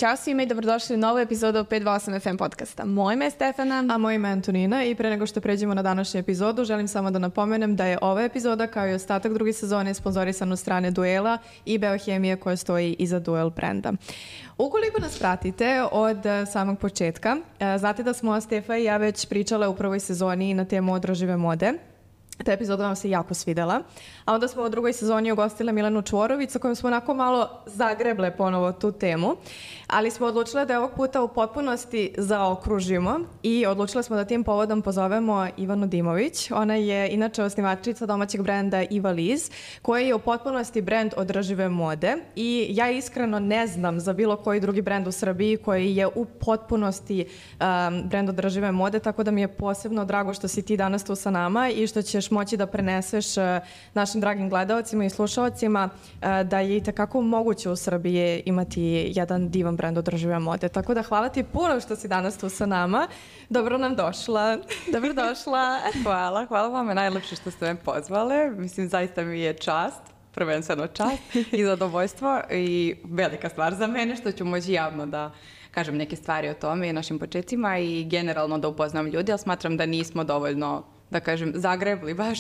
Ćao svima i dobrodošli u novu epizodu 528 FM podcasta. Moje ime je Stefana. A moje ime je Antonina i pre nego što pređemo na današnju epizodu, želim samo da napomenem da je ova epizoda kao i ostatak druge sezone sponzorisana od strane Duela i Beohemije koja stoji iza Duel brenda. Ukoliko nas pratite od samog početka, znate da smo Stefa i ja već pričale u prvoj sezoni na temu održive mode. Ta epizoda vam se jako svidela. A onda smo u drugoj sezoni ugostile Milenu Čvorović sa kojom smo onako malo zagreble ponovo tu temu. Ali smo odlučile da je ovog puta u potpunosti zaokružimo i odlučile smo da tim povodom pozovemo Ivanu Dimović. Ona je inače osnivačica domaćeg brenda Iva Liz, koji je u potpunosti brend održive mode. I ja iskreno ne znam za bilo koji drugi brend u Srbiji koji je u potpunosti brend održive mode, tako da mi je posebno drago što si ti danas tu sa nama i što ćeš moći da preneseš našim dragim gledalcima i slušalcima da je itekako moguće u Srbiji imati jedan divan brend održive mode. Tako da hvala ti puno što si danas tu sa nama. Dobro nam došla. Dobrodošla. Hvala vam, najlepše što ste me pozvale. Mislim, zaista mi je čast, prvenstveno čast i zadovoljstvo i velika stvar za mene što ću moći javno da kažem neke stvari o tome i našim početcima i generalno da upoznam ljudi, ali smatram da nismo dovoljno, da kažem, zagrebli baš,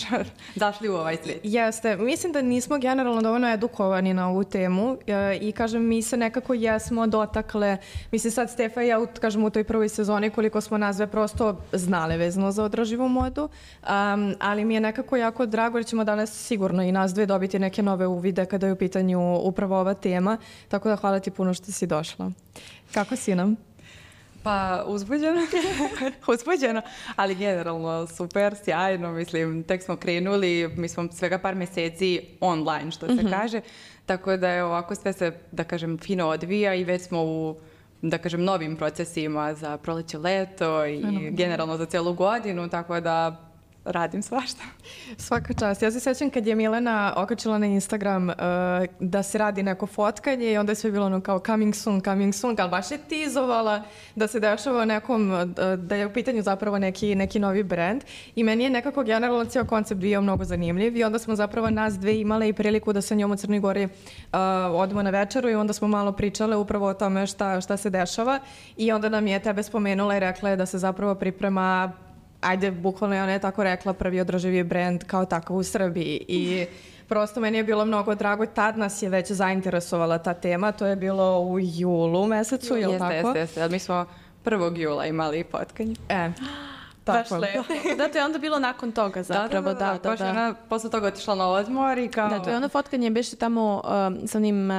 zašli u ovaj svijet. Jeste. Mislim da nismo generalno dovoljno edukovani na ovu temu i kažem, mi se nekako jesmo dotakle, mislim sad Stefa i ja, kažem, u toj prvoj sezoni koliko smo nas dve prosto znale vezano za održivu modu, ali mi je nekako jako drago jer ćemo danas sigurno i nas dve dobiti neke nove uvide kada je u pitanju upravo ova tema, tako da hvala ti puno što si došla. Kako si nam? Pa uzbuđeno, ali generalno super, sjajno, mislim, tek smo krenuli, mi smo svega par mjeseci online, što se kaže, tako da je ovako sve se, da kažem, fino odvija i već smo u, da kažem, novim procesima za proleće, leto i generalno za cijelu godinu, tako da radim svašta. Svaka čast. Ja se sjećam kad je Milena okačila na Instagram da se radi neko fotkanje i onda je sve bilo ono kao coming soon, ali baš je tizovala da se dešava nekom, da je u pitanju zapravo neki novi brand i meni je nekako generalno cijel koncept bio mnogo zanimljiv i onda smo zapravo nas dve imale i priliku da sa njom u Crnoj Gori odemo na večeru i onda smo malo pričale upravo o tome šta se dešava i onda nam je tebe spomenula i rekla je da se zapravo priprema, ajde, bukvalno je ona je tako rekla, prvi održivi brend kao takav u Srbiji i prosto meni je bilo mnogo drago. Tad nas je već zainteresovala ta tema, to je bilo u julu mesecu, je li tako? Jeste. Mi smo 1. jula imali potkanje. Baš lepo. Da, to je onda bilo nakon toga zapravo. Da. Baš ona posle toga otišla na odmor i kao... Da, to je ono fotkanje beše tamo sa onim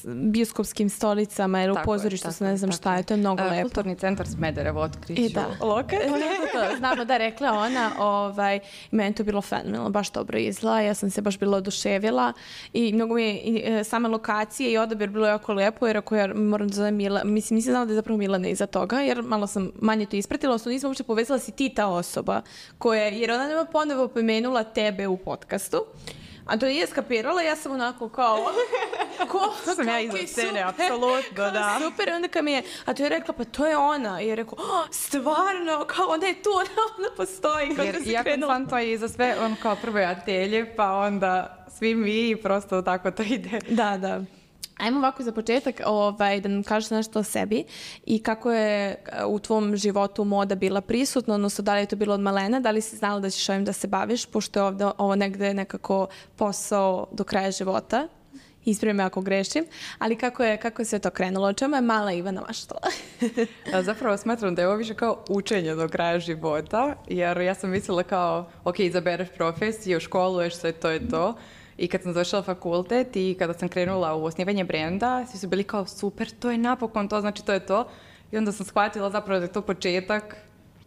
bioskopskim stolicama ili u pozorištu, se ne znam šta je, to je mnogo lepo. Kulturni centar Smederevo otkriću lokal. Znamo da rekla ona, meni to bilo fenomenalno, baš dobro izgleda, ja sam se baš bila oduševila i mnogo mi je sama lokacija i odabir bilo jako lepo, jer ako ja moram da zovem mislim, nisam znala da je zapravo Milana iza toga, jer malo sam manje to ispratila, odnosno nisam uopšte povezala si ti ta osoba jer ona nema ponovo pomenula tebe u podcastu, a to nije skapirala, ja sam onako kao to sam ja iza scene, apsolutno, da. Super, onda kad mi je, a to je rekla, pa to je ona, i je rekao, stvarno, kao ona je tu, ona postoji, kako se krenula. Jer to je iza sve, on kao prve atelje, pa onda svi mi i prosto tako to ide. Da. Ajmo ovako za početak da nam kažeš nešto o sebi i kako je u tvom životu moda bila prisutna, odnosno da li je to bilo od malena, da li si znala da ćeš ovim da se baviš, pošto je ovdje ovo negde nekako posao do kraja života. Ispravi me ako grešim, ali kako je sve to krenulo? O čemu je mala Ivana maštala? Zapravo smatram da je ovo više kao učenje do kraja života, jer ja sam mislila kao, ok, izabereš profesiju, školuješ se, to je to. I kad sam završila fakultet i kada sam krenula u osnivanje brenda, svi su bili kao super, to je napokon to, znači to je to. I onda sam shvatila zapravo da je to početak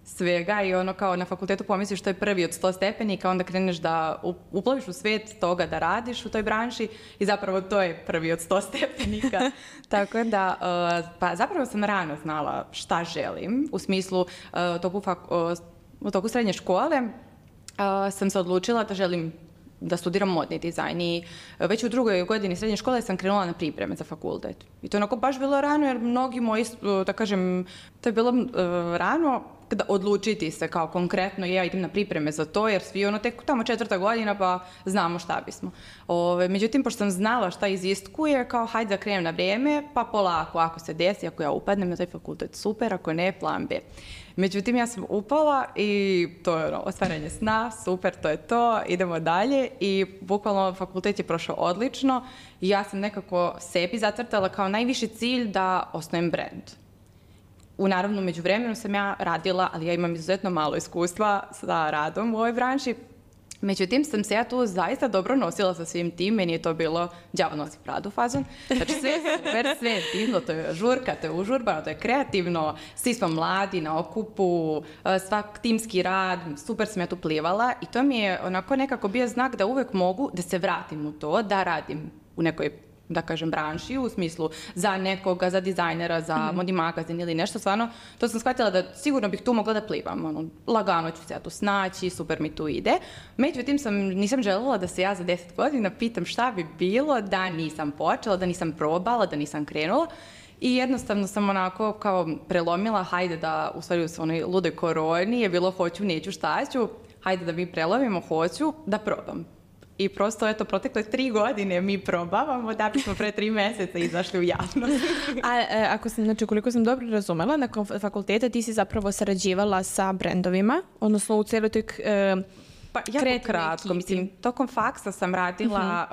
svega i ono kao na fakultetu pomisliš to je prvi od 100 stepenika, onda kreneš da uplaviš u svijet toga da radiš u toj branši i zapravo to je prvi od 100 stepenika. Tako da, pa zapravo sam rano znala šta želim, u smislu u toku srednje škole sam se odlučila da želim da studiram modni dizajn i već u 2. godini srednje škole sam krenula na pripreme za fakultet. I to je onako baš bilo rano jer mnogi moji, da kažem, to je bilo rano odlučiti se kao konkretno ja idem na pripreme za to, jer svi ono tek tamo 4. godina pa znamo šta bismo. Međutim, pošto sam znala šta iziskuje, kao hajde da krenem na vrijeme, pa polako, ako se desi, ako ja upadnem na taj fakultet, super, ako ne, plan B. Međutim, ja sam upala i to je ostvarenje sna, super, to je to, idemo dalje i bukvalno fakultet je prošao odlično i ja sam nekako sebi zacrtala kao najviši cilj da osnujem brand. Naravno, među vremenu sam ja radila, ali ja imam izuzetno malo iskustva sa radom u ovoj branši. Međutim, sam se ja tu zaista dobro nosila sa svim tim, meni je to bilo đavo nosi Pradu fazon. Znači, sve je super, sve je divno, to je žurka, to je užurbano, to je kreativno, svi smo mladi na okupu, svak timski rad, super sam ja tu plivala i to mi je onako nekako bio znak da uvek mogu da se vratim u to, da radim u nekoj, da kažem, branši, u smislu za nekoga, za dizajnera, za modni magazin ili nešto, stvarno, to sam shvatila da sigurno bih tu mogla da plivam, lagano ću se ja tu snaći, super mi tu ide. Međutim, nisam željela da se ja za 10 godina pitam šta bi bilo da nisam počela, da nisam probala, da nisam krenula. I jednostavno sam onako kao prelomila, hajde da, u stvari u onoj ludoj koroni je bilo hoću, neću, šta ću, hajde da mi prelomimo, hoću da probam. I prosto, eto, protekle 3 godine mi probavamo da bismo pre 3 meseca izašli u javnost. Znači, koliko sam dobro razumela, nakon fakulteta ti si zapravo sarađivala sa brendovima, odnosno u cijeloj toj Pa jako kratko, mislim, tokom faksa sam radila,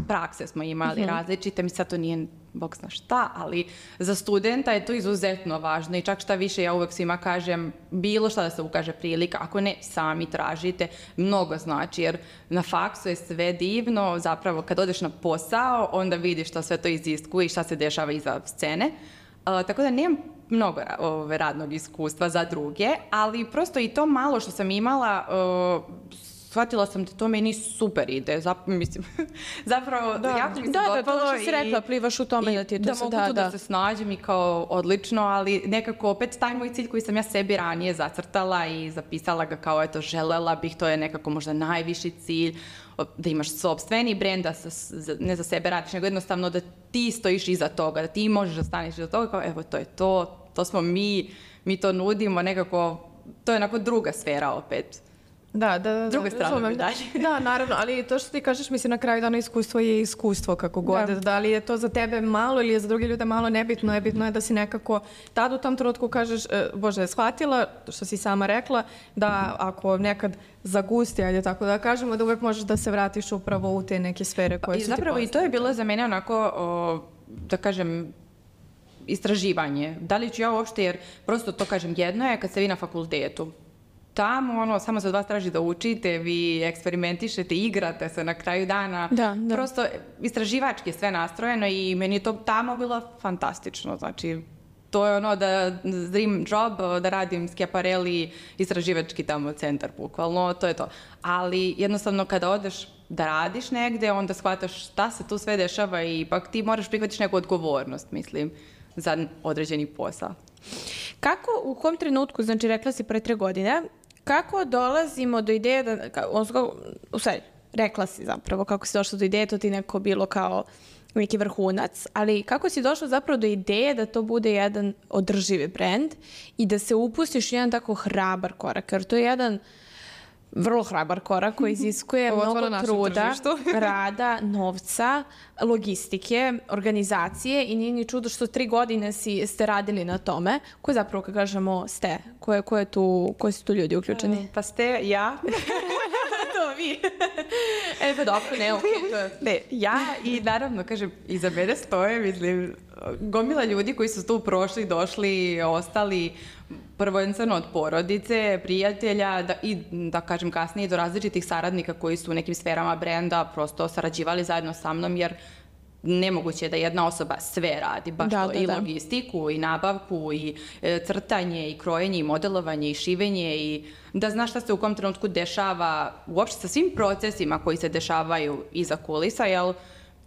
prakse smo imali različite, mi sad to nije bog zna šta, ali za studenta je to izuzetno važno i čak šta više ja uvek svima kažem, bilo šta da se ukaže prilika, ako ne, sami tražite, mnogo znači, jer na faksu je sve divno, zapravo kad odeš na posao, onda vidiš šta sve to iziskuje i šta se dešava iza scene, tako da nemam mnogo radnog iskustva za druge, ali prosto i to malo što sam imala, shvatila sam da to meni super ide. Zapravo, jako mi se dopalo. Da, što si rekla, plivaš u tome da ti je to se da. Da mogu tu da se snađem i kao odlično, ali nekako opet taj moj cilj koji sam ja sebi ranije zacrtala i zapisala ga kao, eto, želela bih, to je nekako možda najviši cilj, da imaš sopstveni brend, da ne za sebe radiš, nego jednostavno da ti stojiš iza toga, da ti možeš da staneš iza toga, kao evo, to je to smo mi to nudimo, nekako, to je onako druga sfera opet. Da, druga strana dalje. Da, naravno, ali to što ti kažeš, mislim, na kraju dana iskustvo je iskustvo, kako god. Da li je to za tebe malo ili je za druge ljude malo, nebitno je da si nekako tad u tom trenutku kažeš, Bože, shvatila, što si sama rekla, da ako nekad zagusti, ajde tako da kažemo, da uvek možeš da se vratiš upravo u te neke sfere koje su ti zapravo i to je bilo za mene onako, da kažem, istraživanje. Da li ću ja uopšte, jer prosto to kažem, jedno je kad ste vi na fakultetu, tamo, samo se od vas traži da učite, vi eksperimentišete, igrate se na kraju dana. Da. Prosto, istraživački je sve nastrojeno i meni je to tamo bilo fantastično. Znači, to je da dream job, da radim Schiaparelli, istraživački tamo centar, bukvalno, to je to. Ali jednostavno kada odeš da radiš negde, onda shvataš šta se tu sve dešava i ipak ti moraš prihvatiš neku odgovornost, mislim, za određeni posao. Kako, u kom trenutku, znači rekla si pre 3 godine, kako dolazimo do ideje rekla si zapravo kako si došla do ideje, to ti neko bilo kao neki vrhunac, ali kako si došla zapravo do ideje da to bude jedan održivi brend i da se upustiš u jedan tako hrabar korak, jer to je jedan vrlo hrabar korak koji iziskuje mnogo truda, rada, novca, logistike, organizacije i nije ni čudo što 3 godine ste radili na tome. Ko zapravo, kad kažemo ste? Koji su tu ljudi uključeni? Pa ste ja. To vi. Pa dobro, ne, okej. Ne, ja i naravno, kažem, iza mene stoje, mislim, gomila ljudi koji su tu prošli, došli, ostali, prvenstveno od porodice, prijatelja i da kažem kasnije do različitih saradnika koji su u nekim sferama brenda prosto sarađivali zajedno sa mnom, jer nemoguće je da jedna osoba sve radi, baš to, i logistiku, i nabavku, i crtanje, i krojenje, i modelovanje, i šivenje, i da znaš šta se u kom trenutku dešava, uopšte sa svim procesima koji se dešavaju iza kulisa, jer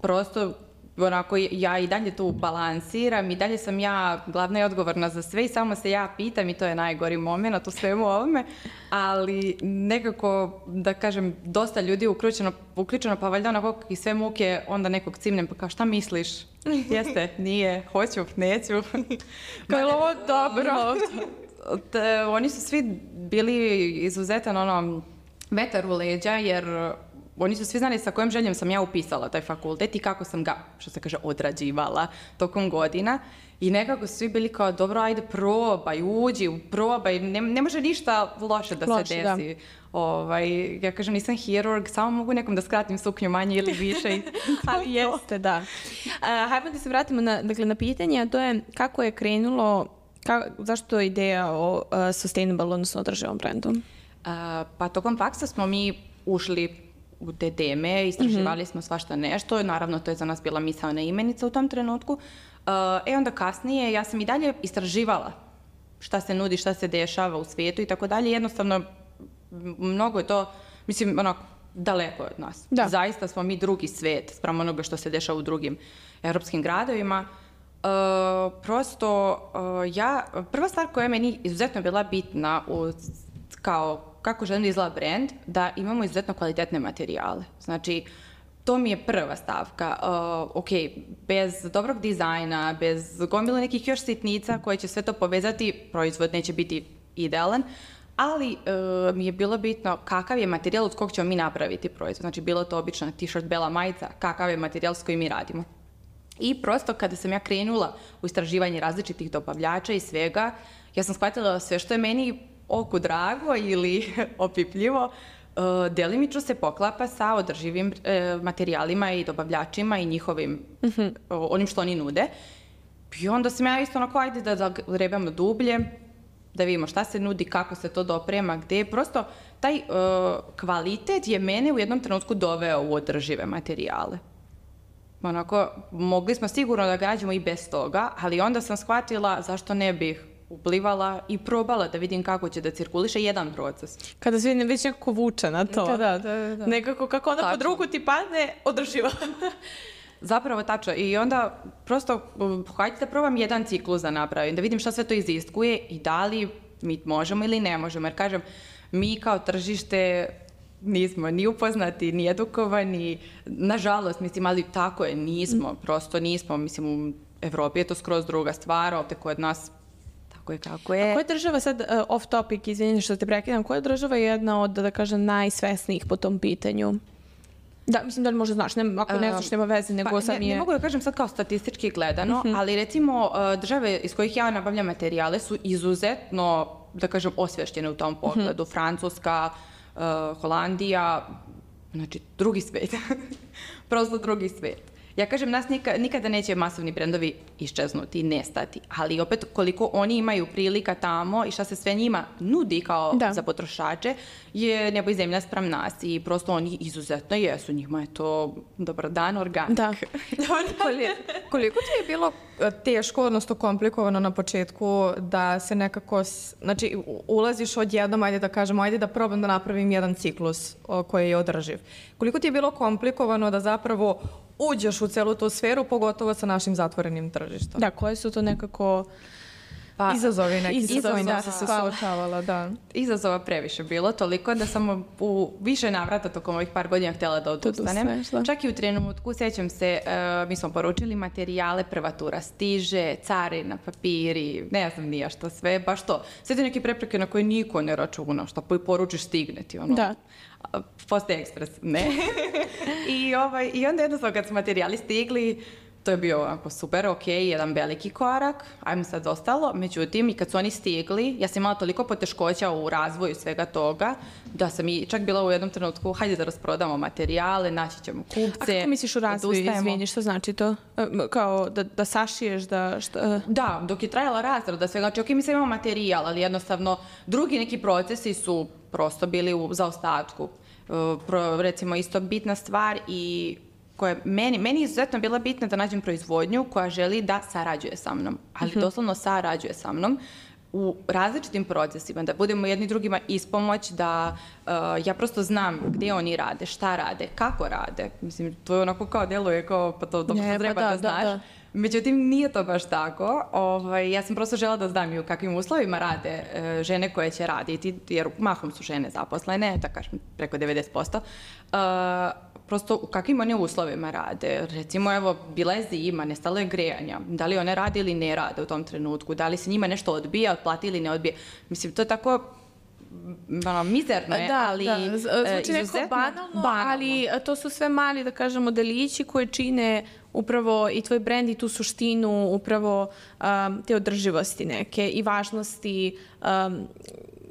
prosto onako ja i dalje tu balansiram i dalje sam ja glavna i odgovorna za sve i samo se ja pitam i to je najgori moment u svemu ovome, ali nekako, da kažem, dosta ljudi uključeno pa valjda onako i sve muke, onda nekog cimnem pa kao šta misliš? Jeste, nije, hoću, neću. Kao je ovo dobro? oni su svi bili izuzetan vetar u leđa, jer oni su svi znali sa kojom željom sam ja upisala taj fakultet i kako sam ga, što se kaže, odrađivala tokom godina. I nekako su svi bili kao, dobro, ajde, probaj, uđi, probaj, ne može ništa loše da se desi. Ja kažem, nisam hirurg, samo mogu nekom da skratim suknju manje ili više. Ali jeste, da. Hajmo da se vratimo na pitanje, a to je kako je krenulo, zašto je ideja o sustainable, odnosno održivom brendu? Pa tokom faksa smo mi ušli u te teme, istraživali smo svašta nešto, naravno to je za nas bila misaona imenica u tom trenutku. Onda kasnije ja sam i dalje istraživala šta se nudi, šta se dešava u svijetu i tako dalje. Jednostavno, mnogo je to, mislim, daleko od nas. Da. Zaista smo mi drugi svijet spram onoga što se dešava u drugim europskim gradovima. Prva stvar koja je meni izuzetno bila bitna kako želim da izgleda brand, da imamo izuzetno kvalitetne materijale. Znači, to mi je prva stavka. Bez dobrog dizajna, bez gomile nekih još sitnica koje će sve to povezati, proizvod neće biti idealan, ali mi je bilo bitno kakav je materijal od kog ćemo mi napraviti proizvod. Znači, bilo to obična t-shirt, bela majica, kakav je materijal s kojim mi radimo. I prosto kada sam ja krenula u istraživanje različitih dobavljača i svega, ja sam shvatila da sve što je meni oku drago ili opipljivo, delimično se poklapa sa održivim materijalima i dobavljačima i njihovim, onim što oni nude. I onda sam ja isto ajde da grebamo dublje, da vidimo šta se nudi, kako se to doprema, gde. Prosto taj kvalitet je mene u jednom trenutku doveo u održive materijale. Mogli smo sigurno da gađamo i bez toga, ali onda sam shvatila zašto ne bih uplivala i probala da vidim kako će da cirkuliše jedan proces. Kada se već nekako vuče na to. Da. Nekako kako onda pod ruku ti padne, održiva. Zapravo tačno. I onda prosto hajde da probam jedan ciklus da napravim, da vidim šta sve to iziskuje i da li mi možemo ili ne možemo. Jer kažem, mi kao tržište nismo ni upoznati, ni edukovani. Nažalost, mislim, ali tako je, nismo. Prosto nismo. Mislim, u Evropi je to skroz druga stvar, ovdje kod nas kako je. A koja država, sad off topic, izvinjeni što te prekidam, koja država je jedna od, da kažem, najsvesnijih po tom pitanju? Da, mislim da li možda znaš, ako ne znaš, nema veze, nego sam je... Ne mogu da kažem sad kao statistički gledano, ali recimo države iz kojih ja nabavljam materijale su izuzetno, da kažem, osvještene u tom pogledu. Francuska, Holandija, znači drugi svijet. Prosto drugi svijet. Ja kažem, nas nikada neće masovni brendovi iščeznuti, nestati, ali opet koliko oni imaju prilika tamo i šta se sve njima nudi kao za potrošače je nebo i zemlja spram nas i prosto oni izuzetno jesu, njima je to dobar dan, organik. Da. Koliko ti je bilo teško, odnosno komplikovano na početku da se nekako, znači ulaziš odjednom, ajde da kažemo, ajde da probam da napravim jedan ciklus koji je održiv. Koliko ti je bilo komplikovano da zapravo uđeš u celu tu sferu, pogotovo sa našim zatvorenim tržištom? Da, koje su to nekako izazovi neki s kojima se suočavala, da. Izazova previše bilo, toliko da sam u više navrata tokom ovih par godina htjela da odustanem. Čak i u trenutku, sjećam se, mi smo poručili materijale, prva tura stiže, carina, papiri, ne znam nija što sve, baš to. Sve te neke prepreke na koje niko ne računa, što poručiš stigne ti, Da. Poste ekspres, ne. I onda jednostavno kad su materijali stigli, to je bio ovako super, jedan veliki korak, ajmo sad ostalo. Međutim, i kad su oni stigli, ja sam imala toliko poteškoća u razvoju svega toga, da sam i čak bila u jednom trenutku, hajde da rasprodamo materijale, naći ćemo kupce. A kako misliš u razvoju, izvini, što znači to? Kao da sašiješ, Da, dok je trajala razrada svega, znači mi sad imamo materijal, ali jednostavno drugi neki procesi su prosto bili u zaostatku. Recimo, isto bitna stvar i koja meni izuzetno bila bitna da nađem proizvodnju koja želi da sarađuje sa mnom, ali doslovno sarađuje sa mnom u različitim procesima, da budemo jedni drugima ispomoć, da ja prosto znam gdje oni rade, šta rade, kako rade. Mislim, to je onako kao djeluje kao pa to dobro treba da znaš. Da. Međutim, nije to baš tako. Ja sam prosto žela da znam i u kakvim uslovima rade žene koje će raditi, jer mahom su žene zaposlene, da kažem preko 90%. prosto u kakvim one uslovima rade. Recimo, evo, bila je zima, nestalo je grejanja. Da li one rade ili ne rade u tom trenutku? Da li se njima nešto odbija, otplati ili ne odbija? Mislim, to je tako mizerno je, ali zvuči neko banalno, ali to su sve mali, da kažemo, delići koji čine upravo i tvoj brend i tu suštinu upravo te održivosti neke i važnosti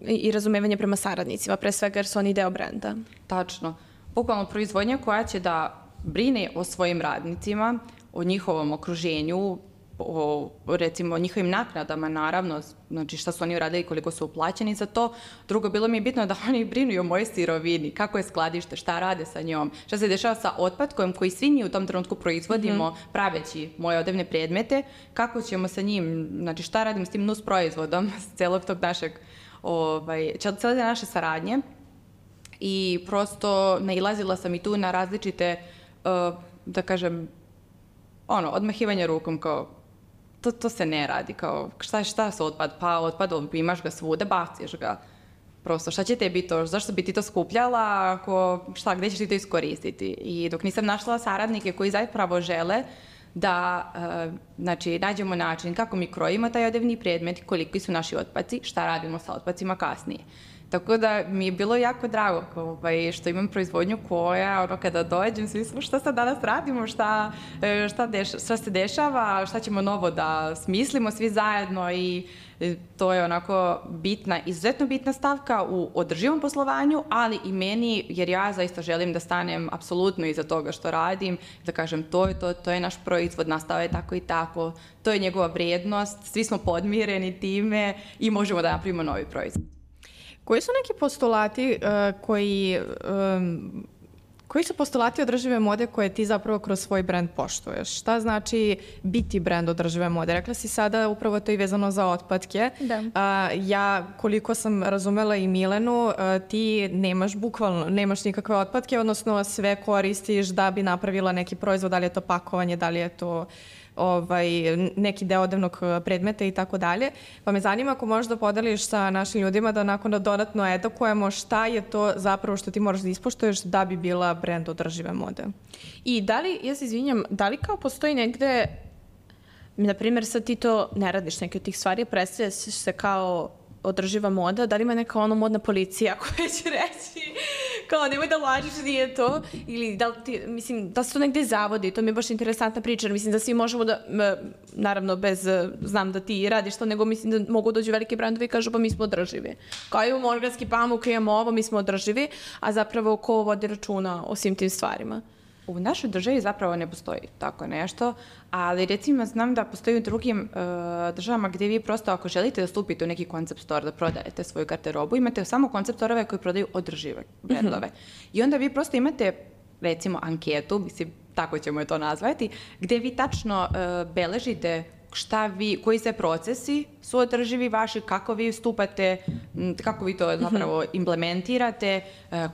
i razumevanje prema saradnicima, pre svega jer su oni deo brenda. Tačno. Bukvalno proizvodnja koja će da brine o svojim radnicima, o njihovom okruženju, o recimo njihovim naknadama, naravno, znači šta su oni uradili, koliko su uplaćeni za to. Drugo, bilo mi je bitno da oni brinu i o mojoj sirovini, kako je skladište, šta rade sa njom, šta se dešava sa otpadkom koji svi mi u tom trenutku proizvodimo praveći moje odevne predmete, kako ćemo sa njim, znači šta radimo s tim nus proizvodom, s celog tog našeg, cele naše saradnje. I prosto nailazila sam i tu na različite, da kažem, odmahivanje rukom kao to se ne radi, kao šta se otpad? Pa otpad, imaš ga svuda, baciš ga. Prosto, šta će tebi to? Zašto bi ti to skupljala? Gde ćeš ti to iskoristiti? I dok nisam našla saradnike koji zapravo žele da nađemo način kako mi krojimo taj odevni predmet, koliki su naši otpaci, šta radimo sa otpacima kasnije. Tako da mi je bilo jako drago što imam proizvodnju koja, kada dođem, svi smo šta sad danas radimo, šta se dešava, šta ćemo novo da smislimo svi zajedno i to je onako izuzetno bitna stavka u održivom poslovanju, ali i meni, jer ja zaista želim da stanem apsolutno iza toga što radim, da kažem to je naš proizvod, nastao je tako i tako, to je njegova vrijednost, svi smo podmireni time i možemo da napravimo novi proizvod. Koji su neki postulati koji su postulati održive mode koje ti zapravo kroz svoj brend poštuješ? Šta znači biti brend održive mode? Rekla si sada upravo to i vezano za otpadke. Da. Ja, koliko sam razumela i Milenu, ti nemaš nikakve otpadke, odnosno sve koristiš da bi napravila neki proizvod, da li je to pakovanje, da li je to neki deo odevnog predmeta i tako dalje. Pa me zanima ako možeš da podeliš sa našim ljudima da onako dodatno edukujemo šta je to zapravo što ti moraš da ispoštuješ da bi bila brend održive mode. I da li, ja se izvinjam, da li kao postoji negde, na primjer sad ti to ne radiš neke od tih stvari, predstavljaš se kao održiva moda, da li ima neka modna policija koja će reći kao nemoj da lažiš, nije to, ili da li se to negde zavodi, to mi je baš interesantna priča, jer mislim da svi možemo da, naravno znam da ti radiš to, nego mislim da mogu dođu veliki brandovi i kažu pa mi smo održivi. Kao imamo organski pamuk, imamo ovo, mi smo održivi, a zapravo ko vodi računa o svim tim stvarima? U našoj državi zapravo ne postoji tako nešto, ali recimo znam da postoji u drugim državama gdje vi prosto ako želite da stupite u neki koncept store, da prodajete svoju garderobu, imate samo koncept storeve koji prodaju održive brendove. I onda vi prosto imate recimo anketu, mislim tako ćemo je to nazvati, gdje vi tačno beležite koji sve procesi su održivi vaši, kako vi stupate, kako vi to zapravo implementirate,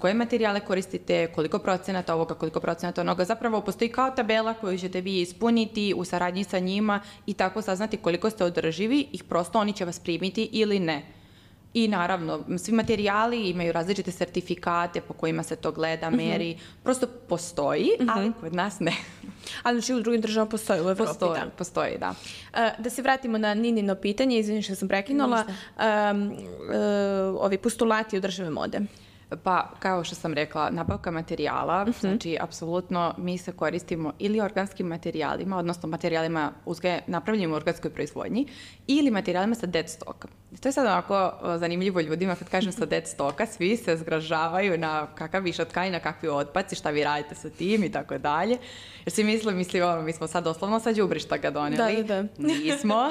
koje materijale koristite, koliko procenata ovoga, koliko procenata onoga. Zapravo postoji kao tabela koju ćete vi ispuniti u saradnji sa njima i tako saznati koliko ste održivi i prosto oni će vas primiti ili ne. I naravno, svi materijali imaju različite sertifikate po kojima se to gleda, meri. Prosto postoji, ali kod nas ne. Ali znači u drugim državama postoji, u Evropi, da. Postoji, da. Da se vratimo na Ninino pitanje, izvini što sam prekinula, ovi postulati održive mode. Pa, kao što sam rekla, nabavka materijala, znači, apsolutno mi se koristimo ili organskim materijalima, odnosno materijalima napravljenim u organskoj proizvodnji, ili materijalima sa dead stocka. To je sad onako zanimljivo ljudima, kad kažem sa dead stocka, svi se zgražavaju na kakav višak tkanina, kakvi otpaci, šta vi radite sa tim i tako dalje. Jer svi misle, mi smo sad doslovno sa đubrišta ga doneli. Da. Nismo.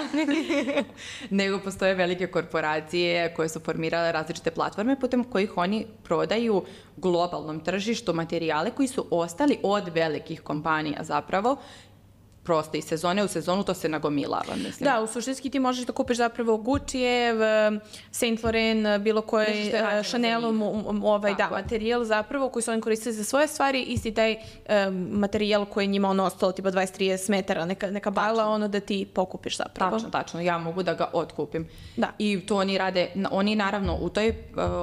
Nego postoje velike korporacije koje su formirale različite platforme putem kojih oni prodaju globalnom tržištu materijale koji su ostali od velikih kompanija zapravo prosto iz sezone u sezonu to se nagomilava, mislim. Da, u suštinski ti možeš da kupiš zapravo Guccijev, Saint Laurent, bilo koji Chanelom materijal zapravo koji su oni koristili za svoje stvari, isti taj materijal koji je njima ostalo tipa 20-30 metara, neka bala, da ti pokupiš zapravo. Tačno, ja mogu da ga otkupim. Da. I to oni rade, oni naravno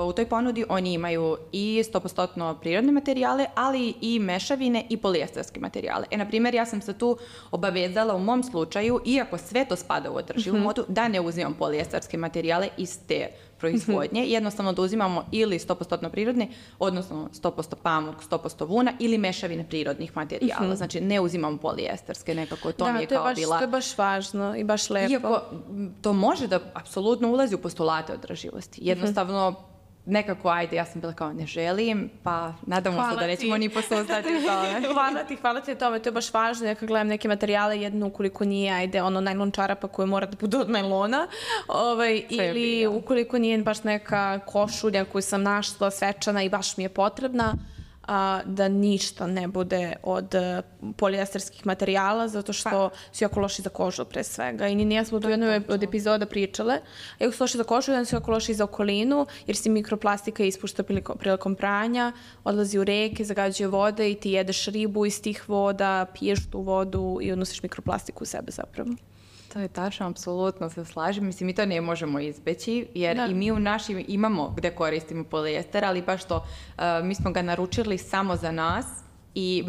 u toj ponudi oni imaju i 100% prirodne materijale, ali i mešavine i polijestarske materijale. Na primjer, ja sam se tu obavezala u mom slučaju, iako sve to spada u održivu modu, da ne uzimam polijestarske materijale iz te proizvodnje, jednostavno da uzimamo ili 100% prirodne, odnosno 100% pamuk, 100% vuna ili mešavine prirodnih materijala. Znači, ne uzimamo polijestarske, nekako to mi je kao bila... Da, to je baš važno i baš lepo. Iako to može da apsolutno ulazi u postulate održivosti. Jednostavno, nekako, ajde, ja sam bila kao ne želim, pa nadamo se da nećemo ni posustati u tome. Hvala ti tome, to je baš važno. Ja kad gledam neke materijale, jedno ukoliko nije, ajde, najlon čarapa koja mora da bude od najlona, ili ukoliko nije baš neka košulja koju sam našla svečana i baš mi je potrebna, da ništa ne bude od polijestarskih materijala, zato što su jako loši za kožu pre svega. I nije smo tu jednoj od epizoda pričale. Jako su loši za kožu, jedan su jako loši za okolinu, jer se mikroplastika ispušta prilikom pranja, odlazi u reke, zagađuje vode i ti jedeš ribu iz tih voda, piješ tu vodu i odnosiš mikroplastiku u sebe zapravo. To je tačno, apsolutno se slažem. Mislim, mi to ne možemo izbeći, jer i mi u našim imamo gde koristimo polijester, ali baš to, mi smo ga naručili samo za nas i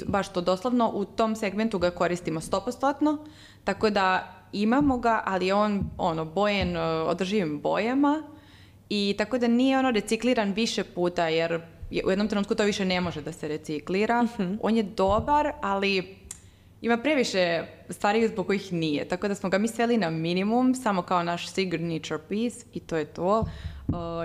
baš to doslovno u tom segmentu ga koristimo 100%, tako da imamo ga, ali je on bojen održivim bojama i tako da nije recikliran više puta, jer u jednom trenutku to više ne može da se reciklira. On je dobar, ali ima previše stvari zbog kojih nije, tako da smo ga mi sveli na minimum, samo kao naš signature piece i to je to,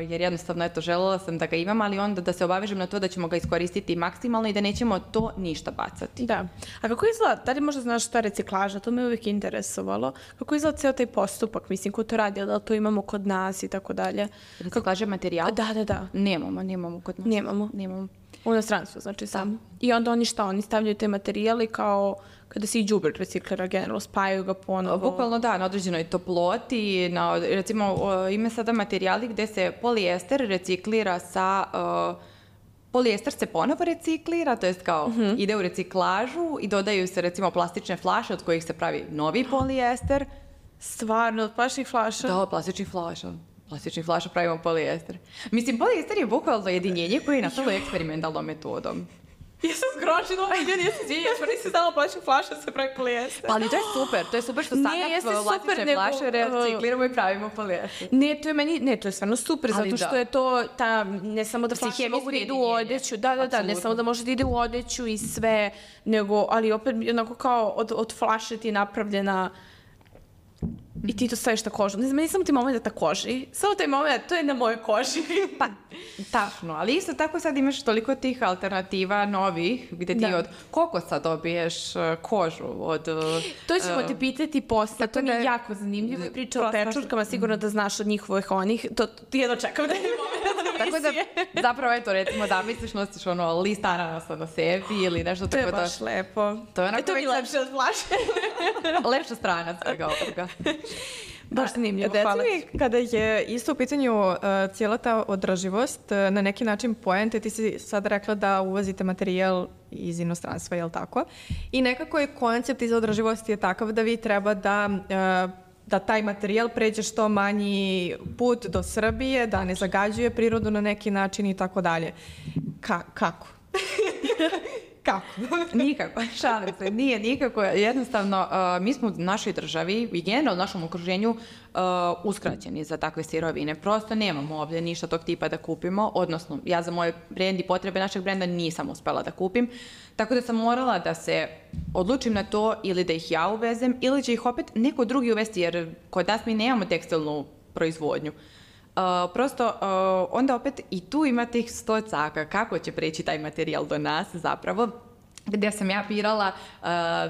jer jednostavno, željela sam da ga imam, ali onda da se obavežem na to da ćemo ga iskoristiti maksimalno i da nećemo to ništa bacati. Da. A kako izgleda, da li možda znaš šta je reciklaža, to me uvijek interesovalo, kako izgleda ceo taj postupak, mislim, ko to radi, da li to imamo kod nas i tako dalje? Reciklaža materijal? Da. Nemamo kod nas. Nemamo. U inostranstvu, znači samo. I onda oni stavljaju te materijali kao kada se i đubre reciklira generalno, spajaju ga ponovo. Bukvalno da, na određenoj toploti, recimo ima sada materijali gde se polijester reciklira sa... Polijester se ponovo reciklira, to jest kao ide u reciklažu i dodaju se recimo plastične flaše od kojih se pravi novi polijester. Stvarno, od plastičnih flaša? Da, od plastičnih flaša pravimo polijester. Mislim, polijester je bukvalno jedinjenje koje je nastalo eksperimentalnom metodom. Ja sam zgrožila, nisam znala plastičnih flaša se pravi polijester. Pa ali to je super što sada plastične flaše recikliramo i pravimo polijester. To je stvarno super, zato što je to ne samo da flaše mogu da idu u odeću, ne samo da može da ide u odeću i sve, nego, ali opet onako kao od flaše ti je napravljena i ti to staviš na kožu. Ne znam, nisam ti moment na koži. Samo taj moment, to je na mojoj koži. Pa, tačno. Ali isto tako sad imaš toliko tih alternativa novih, gde ti od kokosa dobiješ kožu. To ćemo te pitati posle. To mi je jako zanimljivo. Priča o pečurkama, sigurno da znaš od njihovih onih. To jedno čekam da je moment. Tako da, zapravo, recimo, zamisliš, nosiš list ananasa na sebi ili nešto tako da... To je baš lepo. To mi je lepše od flaše. Lepša strana svega ovoga. Baš zanimljivo, hvala ti. Kada je isto u pitanju cijela ta održivost, na neki način poente, ti si sad rekla da uvozite materijal iz inostranstva, je li tako? I nekako je koncept iz održivosti je takav da vi treba da taj materijal pređe što manji put do Srbije, da ne zagađuje prirodu na neki način i tako dalje. Kako? Kako? Nikako, šalim se, nije nikako. Jednostavno, mi smo u našoj državi i generalno u našem okruženju uskraćeni za takve sirovine. Prosto nemamo ovdje ništa tog tipa da kupimo, odnosno ja za moje brend i potrebe našeg brenda nisam uspela da kupim, tako da sam morala da se odlučim na to ili da ih ja uvezem ili će ih opet neko drugi uvesti, jer kod nas mi nemamo tekstilnu proizvodnju. Prosto, onda opet i tu ima tih 100 caka kako će preći taj materijal do nas zapravo. gdje sam ja birala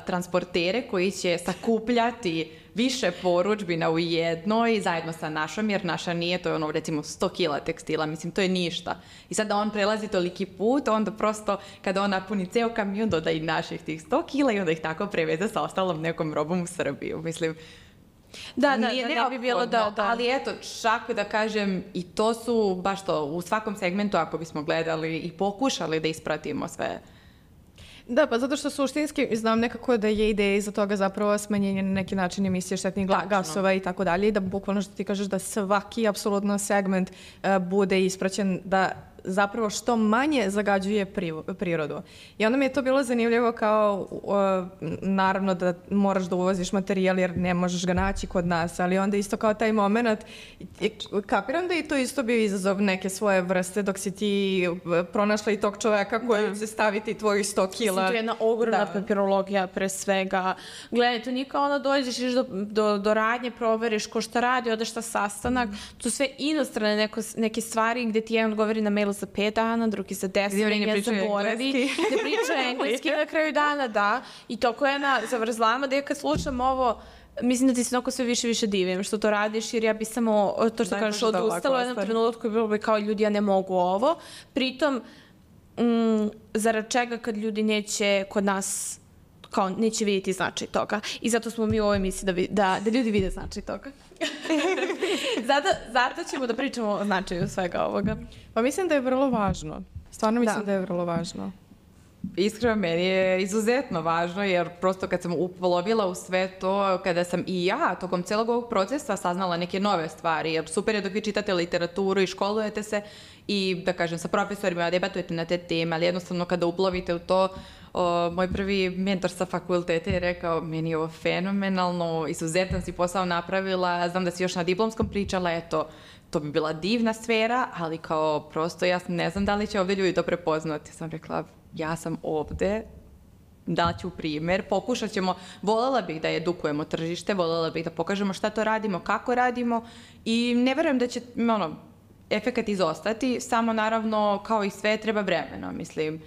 transportere koji će sakupljati više porudžbina u jednoj zajedno sa našom, jer naša nije, to je ono recimo 100 kila tekstila, mislim to je ništa. I sad da on prelazi toliki put, onda prosto kada on napuni ceo kamion doda i naših tih 100 kila i onda ih tako preveze sa ostalom nekom robom u Srbiju. Mislim, Da, nije ne bi bilo da. Ali eto, čak da kažem, i to su baš to, u svakom segmentu ako bismo gledali i pokušali da ispratimo sve. Da, pa zato što suštinski znam nekako da je ideja iza toga zapravo smanjenje na neki način emisije štetnih gasova i tako dalje i da bukvalno što ti kažeš da svaki apsolutno segment bude ispraćen da zapravo što manje zagađuje prirodu. I onda mi je to bilo zanimljivo kao, naravno da moraš da uvoziš materijal jer ne možeš ga naći kod nas, ali onda isto kao taj moment, kapiram da i to isto bio izazov neke svoje vrste dok si ti pronašla i tog čoveka koji će staviti tvojih 100 kila. To je jedna ogromna papirologija pre svega. Gledaj, to nije kao onda dođeš do radnje, proveriš ko šta radi, odeš na sastanak, to sve inostrane neke stvari gde ti jedan odgovori na mail za 5 dana, drugi za 10, jedan zaboravi. Ne priča engleski na kraju dana, da. I toko je na zavrzlama da ja kad slušam ovo, mislim da ti se onako sve više divim što to radiš, jer ja bi samo, to što kažeš, odustala u jednom trenutku i bilo bi kao ljudi, ja ne mogu ovo. Pritom, zarad čega kad ljudi neće kod nas, kao neće vidjeti značaj toga. I zato smo mi u ovoj emisiji da ljudi vide značaj toga. Zato ćemo da pričamo o značaju svega ovoga. Pa mislim da je vrlo važno. Stvarno mislim da je vrlo važno. Iskreno, meni je izuzetno važno, jer prosto kad sam upolovila u sve to, kada sam i ja tokom celog ovog procesa saznala neke nove stvari, jer super je dok vi čitate literaturu i školujete se i, da kažem, sa profesorima debatujete na te teme, ali jednostavno kada uplovite u to, moj prvi mentor sa fakulteta je rekao, meni je ovo fenomenalno, izuzetan si posao napravila, znam da si još na diplomskom pričala, eto, to bi bila divna sfera, ali kao prosto ja ne znam da li će ovdje ljudi to prepoznati. Sam rekla, ja sam ovdje, daću primjer, pokušat ćemo, voljela bih da edukujemo tržište, voljela bih da pokažemo šta to radimo, kako radimo i ne verujem da će efekat izostati, samo naravno kao i sve treba vremena, mislim.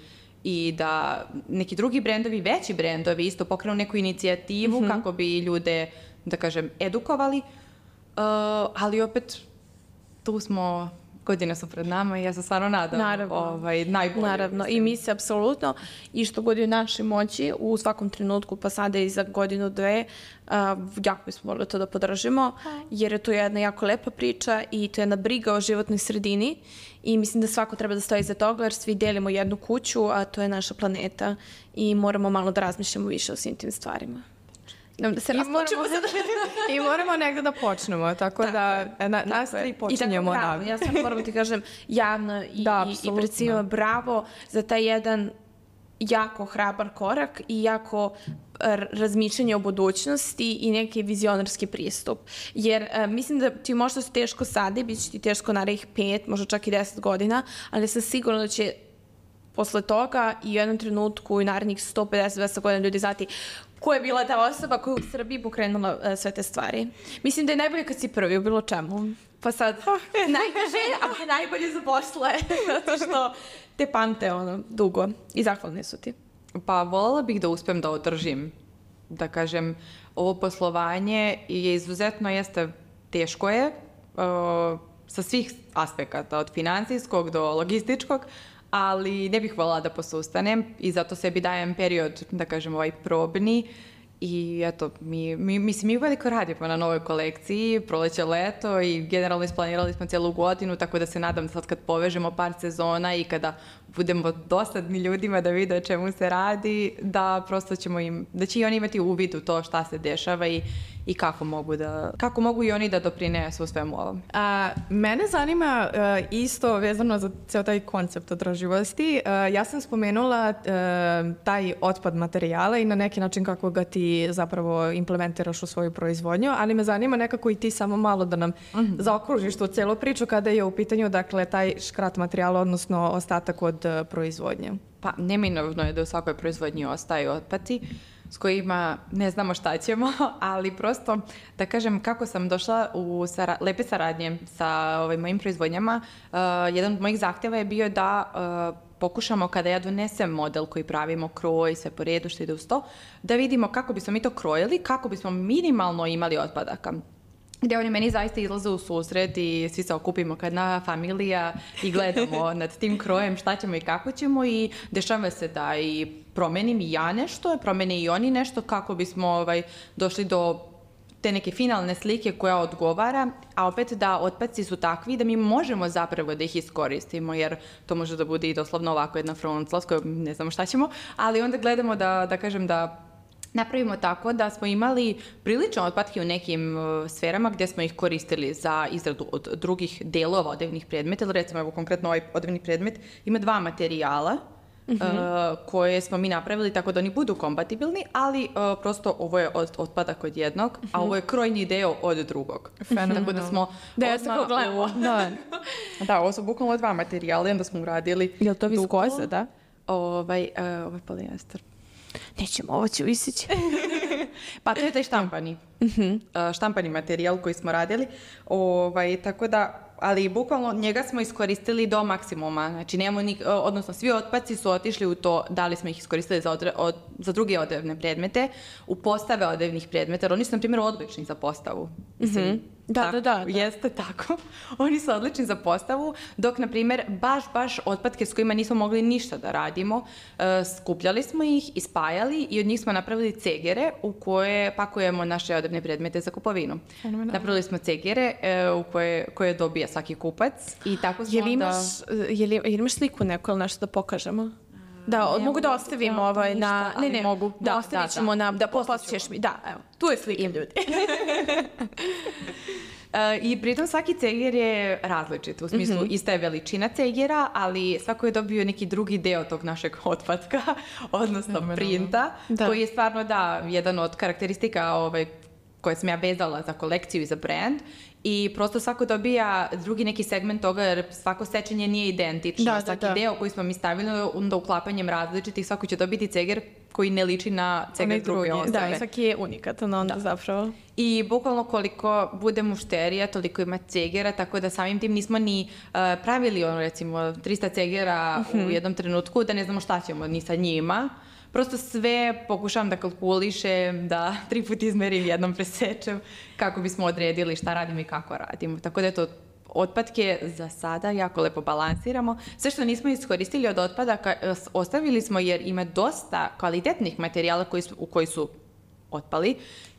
I da neki drugi brendovi, veći brendovi isto pokrenu neku inicijativu kako bi ljude, da kažem, edukovali, ali opet tu smo, godine su pred nama i ja se stvarno nadam najbolje. Naravno, i mi se apsolutno, i što god je u našoj moći, u svakom trenutku, pa sada i za godinu, dve, jako bismo morali to da podržimo, jer je to jedna jako lepa priča i to je jedna briga o životnoj sredini i mislim da svako treba da stoji iza toga, jer svi delimo jednu kuću, a to je naša planeta i moramo malo da razmišljamo više o svim tim stvarima. Da se I moramo negdje da počnemo, tako da nas tri počinjemo. Ja sam moram ti kažem javno i pred svima bravo za taj jedan jako hrabar korak i jako razmišljanje o budućnosti i neki vizionarski pristup. Jer mislim da ti možda su teško sada i bit će ti teško narednih 5, možda čak i 10 godina, ali sam sigurna da će posle toga i u jednom trenutku i narednih 150-200 godina ljudi znati ko je bila ta osoba koja je u Srbiji pokrenula sve te stvari. Mislim da je najbolje kad si prvi u bilo čemu. Pa sad, najteže, a najbolje za posle, zato što te pamte dugo i zahvalni su ti. Pa voljela bih da uspem da održim, da kažem, ovo poslovanje je izuzetno teško je, sa svih aspekata, od financijskog do logističkog, ali ne bih voljela da posustanem i zato sebi dajem period, da kažem, probni i eto, mi veliko radimo na novoj kolekciji, proleće, leto i generalno isplanirali smo cijelu godinu, tako da se nadam da sad kad povežemo par sezona i kada budemo dosadni ljudima da vide o čemu se radi, da prosto da će i oni imati uvid u to šta se dešava i kako mogu i oni da doprinesu svemu ovom. Mene zanima isto vezano za ceo taj koncept održivosti. Ja sam spomenula taj otpad materijala i na neki način kako ga ti zapravo implementiraš u svoju proizvodnju, ali me zanima nekako i ti samo malo da nam zaokružiš tu celu priču kada je u pitanju, dakle, taj škrat materijala, odnosno ostatak od proizvodnje. Pa neminovno je da u svakoj proizvodnji ostaju otpati. s kojima ne znamo šta ćemo, ali prosto da kažem kako sam došla u lepe saradnje sa mojim proizvodnjama, jedan od mojih zahtjeva je bio da pokušamo kada ja donesem model koji pravimo, kroj, sve po redu što ide uz to, da vidimo kako bismo mi to krojili, kako bismo minimalno imali otpadaka. Gdje oni meni zaista izlaze u susret i svi se okupimo kad na familija i gledamo nad tim krojem šta ćemo i kako ćemo i dešava se da i promenim i ja nešto, promene i oni nešto kako bismo došli do te neke finalne slike koja odgovara, a opet da otpaci su takvi da mi možemo zapravo da ih iskoristimo, jer to može da bude i doslovno ovako jedna frontla s kojom ne znamo šta ćemo, ali onda gledamo da kažem da napravimo tako da smo imali prilično otpatke u nekim sferama gdje smo ih koristili za izradu od drugih delova odevnih predmeta, ili recimo evo konkretno ovaj odevni predmet ima 2 materijala koje smo mi napravili tako da oni budu kompatibilni, ali prosto ovo je otpadak od jednog, a ovo je krojni deo od drugog. Tako da smo... Da, ja tako gledamo. Da, ovo su bukvalno 2 materijala i onda smo uradili... Je li to viskoza, da? Ovo je polijester. Nećemo, ovo će visići. Pa to je taj štampani materijal koji smo radili. Tako da, ali bukvalno njega smo iskoristili do maksimuma. Znači, odnosno svi otpaci su otišli u to da li smo ih iskoristili za druge odevne predmete, u postave odevnih predmeta, jer oni su, na primjer, odlični za postavu. Da. Jeste tako. Oni su odlični za postavu, dok, na primjer, baš otpadke s kojima nismo mogli ništa da radimo, skupljali smo ih, ispajali i od njih smo napravili cegere u koje pakujemo naše odevne predmete za kupovinu. Napravili smo cegere u koje dobija svaki kupac i tako smo Jel imaš sliku neku ili nešto da pokažemo? Da, mogu da ostavimo na... Ne, mogu. Da, ostavit ćemo da posjećeš mi. Da, evo, tu je slika ljudi. I pritom svaki ceger je različit, u smislu ista je veličina cegera, ali svako je dobio neki drugi deo tog našeg otpatka, odnosno printa, koji je stvarno jedan od karakteristika koje sam ja vezala za kolekciju i za brand. I prosto svako dobija drugi neki segment toga, jer svako sečenje nije identično. Svaki deo koji smo mi stavili, onda uklapanjem različitih, svako će dobiti ceger koji ne liči na ceger druge osobe. Da, svaki je unikatan onda zapravo. I bukvalno koliko bude mušterija, toliko ima cegera, tako da samim tim nismo ni pravili recimo 300 cegera u jednom trenutku, da ne znamo šta ćemo ni sa njima. Prosto sve pokušavam da kalkulišem, da 3 puta izmerim, jednom presečem, kako bismo odredili šta radimo i kako radimo. Tako da to otpadke za sada jako lepo balansiramo. Sve što nismo iskoristili od otpadaka ostavili smo jer ima dosta kvalitetnih materijala koji su otpali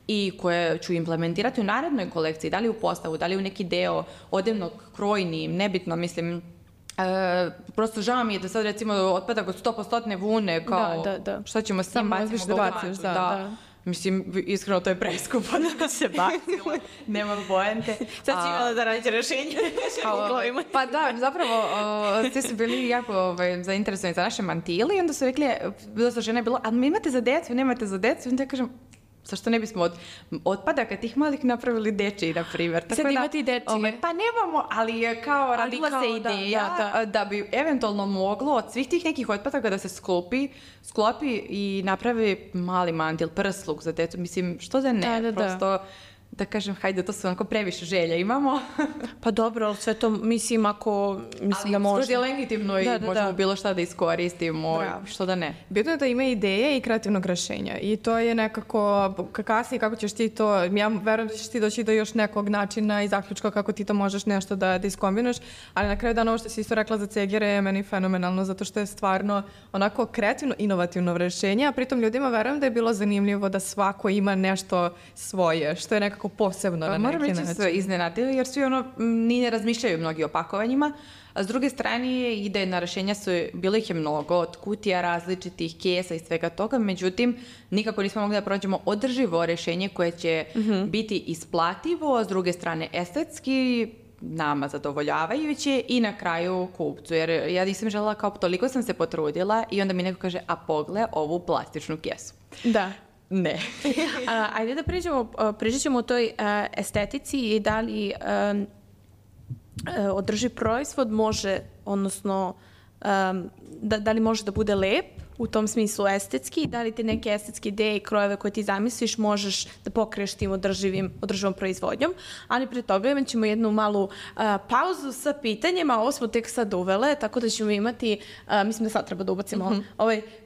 i koje ću implementirati u narednoj kolekciji, da li u postavu, da li u neki deo odevnog, krojni, nebitno, mislim... prosto žao mi je da sad recimo otpadak od 100% vune kao šta ćemo s njim bacimo da. Mislim, iskreno to je preskupo da se bacilo, nema poente. Sad ću imala da radite rešenje. Pa da, zapravo svi su bili jako zainteresovani za naše mantile i onda su rekli, dosta žena je bilo, ali imate za decu, nemate za decu, i onda ja kažem, zašto ne bismo od otpadaka tih malih napravili dečiji, na primjer. Sad imate i dečije. Pa nemamo, ali je kao radila se ideja da bi eventualno moglo od svih tih nekih otpadaka da se sklopi i napravi mali mantil, prsluk za decu. Mislim, što da ne? Prosto... Da kažem, hajde, to su onako previše želja imamo. Pa dobro, ali sve to, mislim, ako... Mislim da može. Ali skroz je legitimno i možemo bilo šta da iskoristimo, što da ne. Bitno je da ima ideje i kreativnog rešenja. I to je nekako, kasnije kako ćeš ti to... Ja verujem da ćeš ti doći do još nekog načina i zaključka kako ti to možeš nešto da iskombinuješ, ali na kraju dana ovo što si isto rekla za cegere je meni fenomenalno, zato što je stvarno onako kreativno, inovativno rešenje, a pritom ljudima verujem da je bilo zanimljivo da svako ima nešto svoje, što je nekako posebno na neki način. Moram reći se iznenadili jer svi ni ne razmišljaju mnogi o pakovanjima, a s druge strane idejna rešenja bilo ih je mnogo, od kutija različitih, kesa i svega toga, međutim nikako nismo mogli da pronađemo održivo rešenje koje će biti isplativo, a s druge strane estetski, nama zadovoljavajuće i na kraju kupcu, jer ja nisam želela kao toliko sam se potrudila i onda mi neko kaže, a pogle ovu plastičnu kesu. Da. Ne. Ajde da pričat ćemo o toj estetici i da li održiv proizvod može, odnosno da li može da bude lep, u tom smislu estetski, da li te neke estetske ideje i krojeve koje ti zamisliš možeš da pokriješ tim održivom proizvodnjom, ali pre toga imat ćemo jednu malu pauzu sa pitanjima, ovo smo tek sad uvele, tako da ćemo imati, mislim da sad treba da ubacimo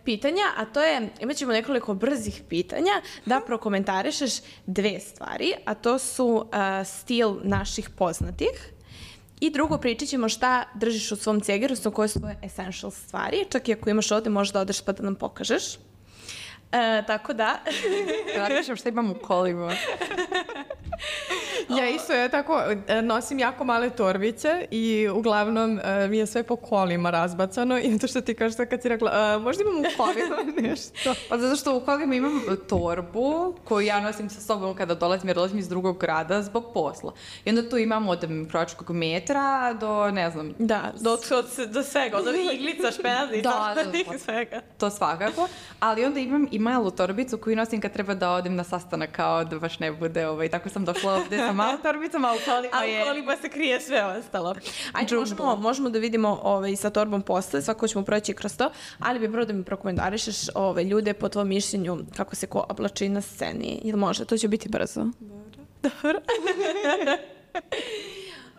pitanja, a to je, imat ćemo nekoliko brzih pitanja da prokomentarišeš dve stvari, a to su stil naših poznatih. I drugo, pričat ćemo šta držiš u svom cegeru, koje su tvoje essential stvari. Čak i ako imaš ovde, možeš da odeš pa da nam pokažeš. Tako da... Da kažem šta imam u kolima. Ja isto tako nosim jako male torbice i uglavnom mi je sve po kolima razbacano i to što ti kažeš kad si rekla, možda imam u kolima nešto. Pa zato što u kolima imam torbu koju ja nosim sa sobom kada dolazim, jer dolazim iz drugog grada zbog posla. I onda tu imam od krojačkog metra do, ne znam... Da, do svega, od iglica, špenaca i svega. To svakako, ali onda imam i malu torbicu koju nosim kad treba da odem na sastanak, kao da baš ne bude tako sam došla ovde sa malom torbicom, a u kolima se krije sve ostalo. Ajde, možemo da vidimo sa torbom posle, svako ćemo proći kroz to, ali bi prvo da mi prokomentarišeš ljude po tvojom mišljenju kako se ko oblači na sceni. Jel može? To će biti brzo. Dobro.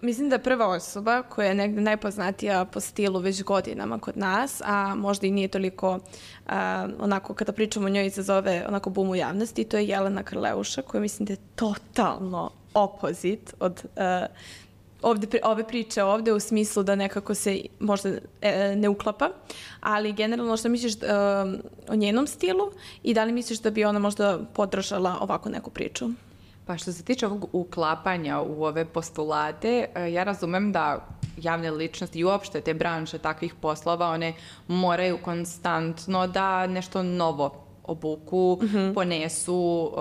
Mislim da je prva osoba koja je negde najpoznatija po stilu već godinama kod nas, a možda i nije toliko onako kada pričamo o njoj izazove onako bum u javnosti, to je Jelena Krleuša koja mislim da je totalno opozit od ove priče ovde u smislu da nekako se možda ne uklapa, ali generalno što misliš o njenom stilu i da li misliš da bi ona možda podržala ovako neku priču? Pa što se tiče ovog uklapanja u ove postulate, ja razumem da javne ličnosti i uopšte te branše takvih poslova, one moraju konstantno da nešto novo obuku, ponesu,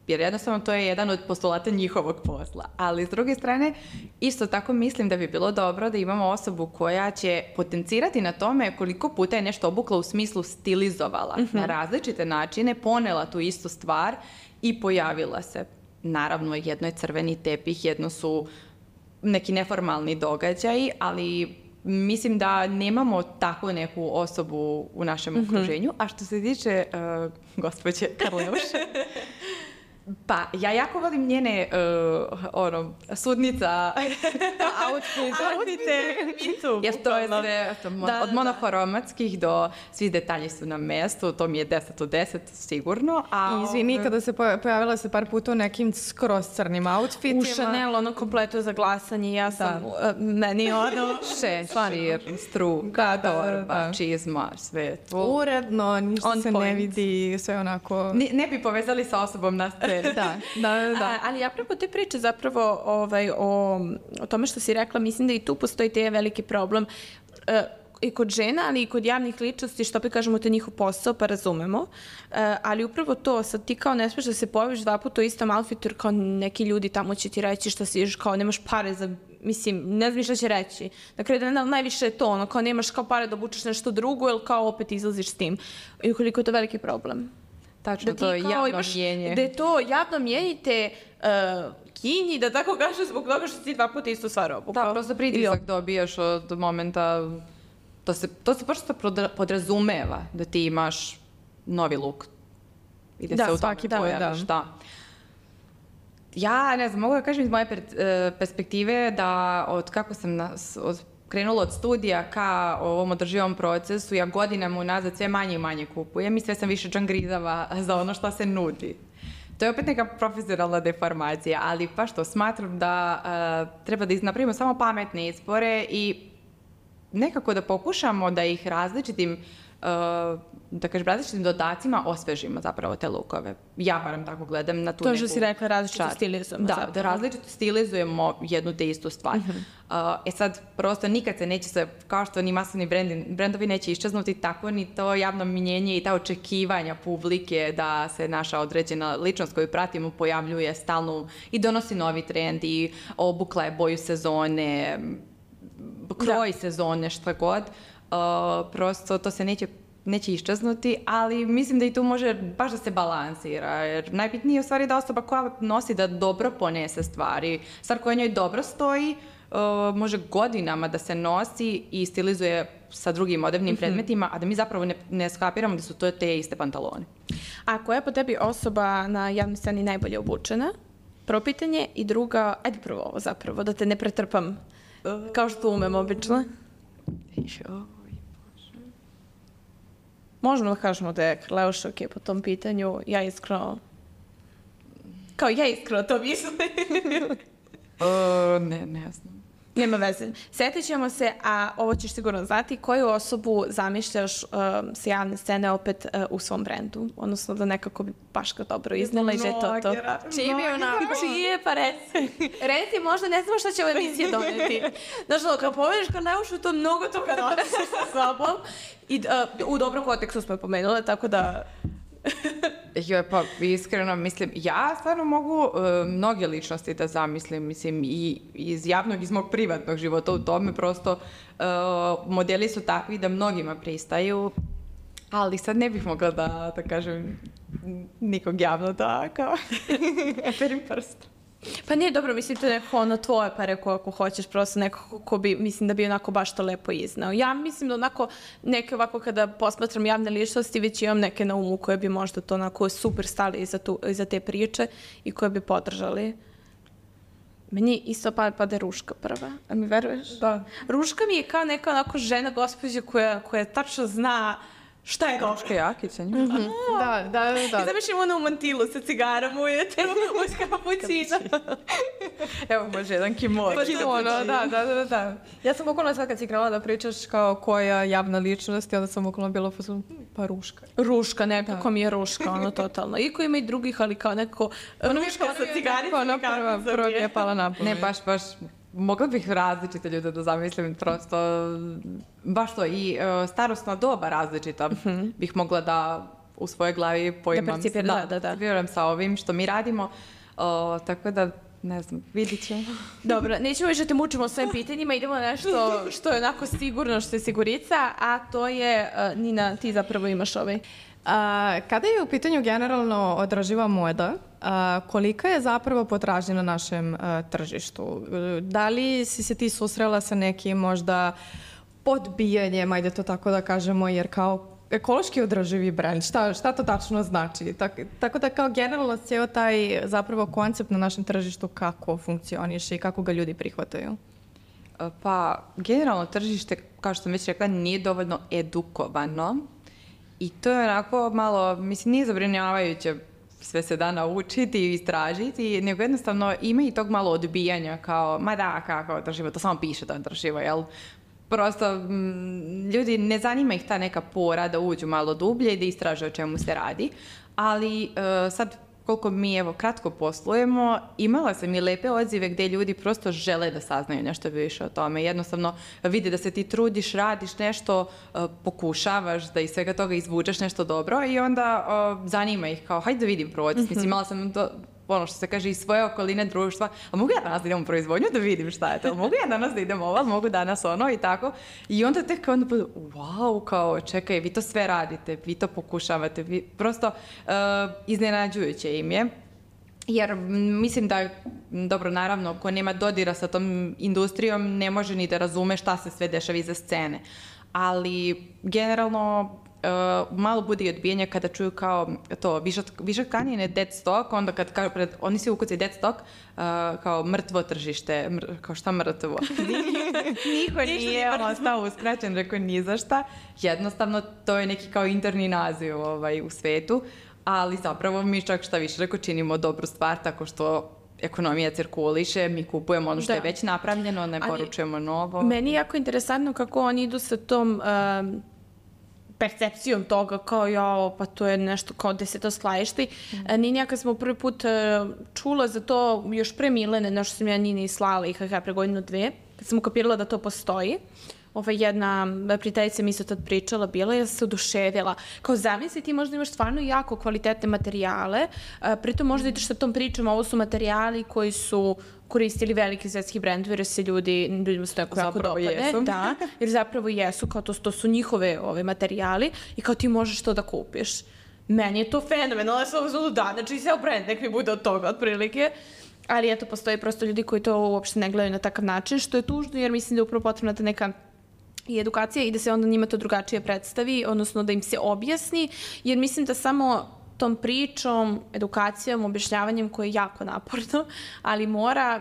jer jednostavno to je jedan od postulata njihovog posla. Ali s druge strane, isto tako mislim da bi bilo dobro da imamo osobu koja će potencirati na tome koliko puta je nešto obukla u smislu stilizovala na različite načine, ponela tu istu stvar i pojavila se. Naravno, jedno je crveni tepih, jedno su neki neformalni događaji, ali mislim da nemamo takvu neku osobu u našem okruženju. A što se tiče gospođe Karleuše, pa ja jako volim njene sudnica outfite. Jer to je sve od monokromatskih do svi detalji su na mestu, to mi je 10 od 10 sigurno. Izvini, kada se pojavila se par puta u nekim skroz crnim outfitima. U Chanel, kompleto za glasanje, ja sam, meni šešir, struka, torba, čizma, sve to. Uredno, ništa se ne vidi, sve onako... Ne bi povezali sa osobom na sceni. Da. Ali ja preko te priče zapravo o tome što si rekla, mislim da i tu postoji te veliki problem i kod žena, ali i kod javnih ličnosti, što opet kažemo, to je njihov posao, pa razumemo. Ali upravo to, sad ti kao ne smiješ da se pojaviš dva puta u istom outfitu, jer kao neki ljudi tamo će ti reći što si, kao nemaš pare za, mislim, ne znam šta će reći. Dakle, najviše je to, kao nemaš kao pare da obučeš nešto drugo, ili kao opet izlaziš s tim. I ukoliko je to veliki problem. Tačno, to je javno mjenje. Da je to javno mjenjite kinji, da tako kažem, zbog toga što ti dva puta istu stvar obukao. Da, prosto pritisak dobijaš od momenta, to se prosto podrazumeva da ti imaš novi luk i da se u tome pojaviš. Da. Ja, ne znam, mogu da kažem iz moje perspektive da od kako sam krenula od studija ka ovom održivom procesu, ja godinama unazad sve manje i manje kupujem i sve sam više džangrizava za ono što se nudi. To je opet neka profesionalna deformacija, ali pa što smatram da treba da napravimo samo pametne izbore i nekako da pokušamo da ih različitim dodacima osvežimo zapravo te lukove. Ja barem tako gledam na tu neku... To što si rekla, različito stilizujemo. Da različito stilizujemo jednu te istu stvar. Sad, prosto nikad se neće se, kao što ni masovni brendovi neće iščeznuti, tako ni to javno mnjenje i ta očekivanja publike da se naša određena ličnost koju pratimo pojavljuje stalno i donosi novi trend i obukla je boju sezone, kroj sezone, šta god. Prosto to se neće neće iščeznuti, ali mislim da i tu može baš da se balansira, jer najbitnije je u stvari da osoba koja nosi da dobro ponese stvari. Stvar koja njoj dobro stoji, može godinama da se nosi i stilizuje sa drugim modernima predmetima, a da mi zapravo ne skapiramo da su to te iste pantalone. A koja je po tebi osoba na javnoj sceni najbolje obučena? Prvo pitanje. I druga, ajde prvo ovo zapravo, da te ne pretrpam, kao što umem obično. Možemo da kažemo da je Leuša ok po tom pitanju. Ja iskreno to mislim. Ne znam. Nema veze. Sjetit ćemo se, a ovo ćeš sigurno znati, koju osobu zamišljaš sa javne scene opet u svom brendu? Odnosno da nekako bi baš ga dobro iznela i že to. Čiji je onako? Čije, pa reci, možda ne znamo šta će ova emisija doneti. Znaš, kad povedeš kad Leušu, to mnogo toga nosi sa sobom. I u dobrom kontekstu smo je pomenule, tako da... Joj, pa iskreno, mislim, ja stvarno mogu mnoge ličnosti da zamislim, mislim, i iz javnog, iz mog privatnog života u tome, prosto modeli su takvi da mnogima pristaju, ali sad ne bih mogla da kažem nikog javno da, kao, perim prst. Pa nije dobro, mislim, to je neko ono tvoje pare ako hoćeš, prosto neko ko bi, mislim da bi onako baš to lepo iznao. Ja mislim da onako, neke ovako kada posmatram javne ličnosti, već imam neke na umu koje bi možda to onako super stali iza te priče i koje bi podržali. Meni isto pada Ruška prva, a mi veruješ? Da. Ruška mi je kao neka onako žena gospođa koja tačno zna šta je dobro. Ruška Jakić sa njim. Da. I zamišljam ono u mantilu sa cigarom ujete, uz kapućina. Evo, može jedan kimono. Da. Ja sam bukvalno sad kad si krenula da pričaš kao koja javna ličnost i onda sam bukvalno bila pa Ruška. Ruška, nekako mi je Ruška, ono totalno. Iako ima i drugih, ali kao nekako Ruška sa cigaricom. Ona prva mi je pala na pamet. Ne, baš. Mogla bih različite ljude da zamislim, prosto, baš to, i starosna doba različita bih mogla da u svojoj glavi poimam. Da vjerujem sa ovim što mi radimo, tako da, ne znam, vidit ćemo. Dobro, nećemo više da te mučimo svojim pitanjima, idemo na nešto što je onako sigurno, što je sigurica, a to je, Nina, ti zapravo imaš ovaj. Kada je u pitanju generalno održiva moda, kolika je zapravo potražnja na našem tržištu? Da li si se ti susrela sa nekim možda podbijanjem, ajde to tako da kažemo, jer kao ekološki održivi brend, šta to tačno znači? Tako da kao generalno cijel taj zapravo koncept na našem tržištu kako funkcioniše i kako ga ljudi prihvataju? Pa, generalno tržište, kao što sam već rekla, nije dovoljno edukovano. I to je onako malo, mislim, nije zabrinjavajuće sve se da naučiti i istražiti, nego jednostavno ima i tog malo odbijanja kao, ma da, kako održivo, to samo piše da održivo, jel? Prosto, ljudi ne zanima ih ta neka pora da uđu malo dublje i da istraže o čemu se radi, ali sad koliko mi evo kratko poslujemo, imala sam i lepe odzive gdje ljudi prosto žele da saznaju nešto više o tome. Jednostavno vide da se ti trudiš, radiš nešto, pokušavaš da iz svega toga izvučeš nešto dobro i onda zanima ih kao hajde da vidim proces. Mislim, imala sam ono što se kaže iz svoje okoline društva, a mogu ja danas da idem u proizvodnju da vidim šta je to, mogu ja danas da idem ovo, mogu danas ono i tako. I onda tek onda budu, wow, kao čekaj, vi to sve radite, vi to pokušavate, vi prosto iznenađujuće im je. Jer mislim da, dobro, naravno, ko nema dodira sa tom industrijom, ne može ni da razume šta se sve dešava iza scene. Ali, generalno, malo bude i odbijanja kada čuju kao to, višak tkanine, dead stock, onda kad oni svi ukucaju dead stock, kao mrtvo tržište, kao šta mrtvo? Niko nije ostao uskraćen, rekao ni za šta. Jednostavno, to je neki kao interni naziv u svetu, ali zapravo mi čak šta više rekao, činimo dobru stvar tako što ekonomija cirkuliše, mi kupujemo ono što je već napravljeno, ne poručujemo novo. Meni je jako interesantno kako oni idu sa tom percepcijom toga kao pa to je nešto kao gde se to skladišti. Ninja, kad smo prvi put čula za to još pre Milene, nešto sam ja Nini slala i pre godinu dve, kad sam ukapirala da to postoji, jedna prijateljica mi isto tad pričala, bila je se oduševila. Kao zamisli, ti možda imaš stvarno jako kvalitetne materijale, pritom možda ideš sa tom pričom, ovo su materijali koji su koristili veliki svetski brendovi, jer se ljudima se tako jako dopade. Jesu. Da, jer zapravo jesu, kao to su njihove materijali i kao ti možeš to da kupiš. Meni je to fenomenalno, ja sam uzmano da, znači sve brend, nek mi bude od toga otprilike. Ali eto, postoji prosto ljudi koji to uopšte ne gledaju na takav način, što je tužno, jer mislim da je upravo potrebna ta neka i edukacija i da se onda njima to drugačije predstavi, odnosno da im se objasni, jer mislim da samo tom pričom, edukacijom, objašnjavanjem koje je jako naporno, ali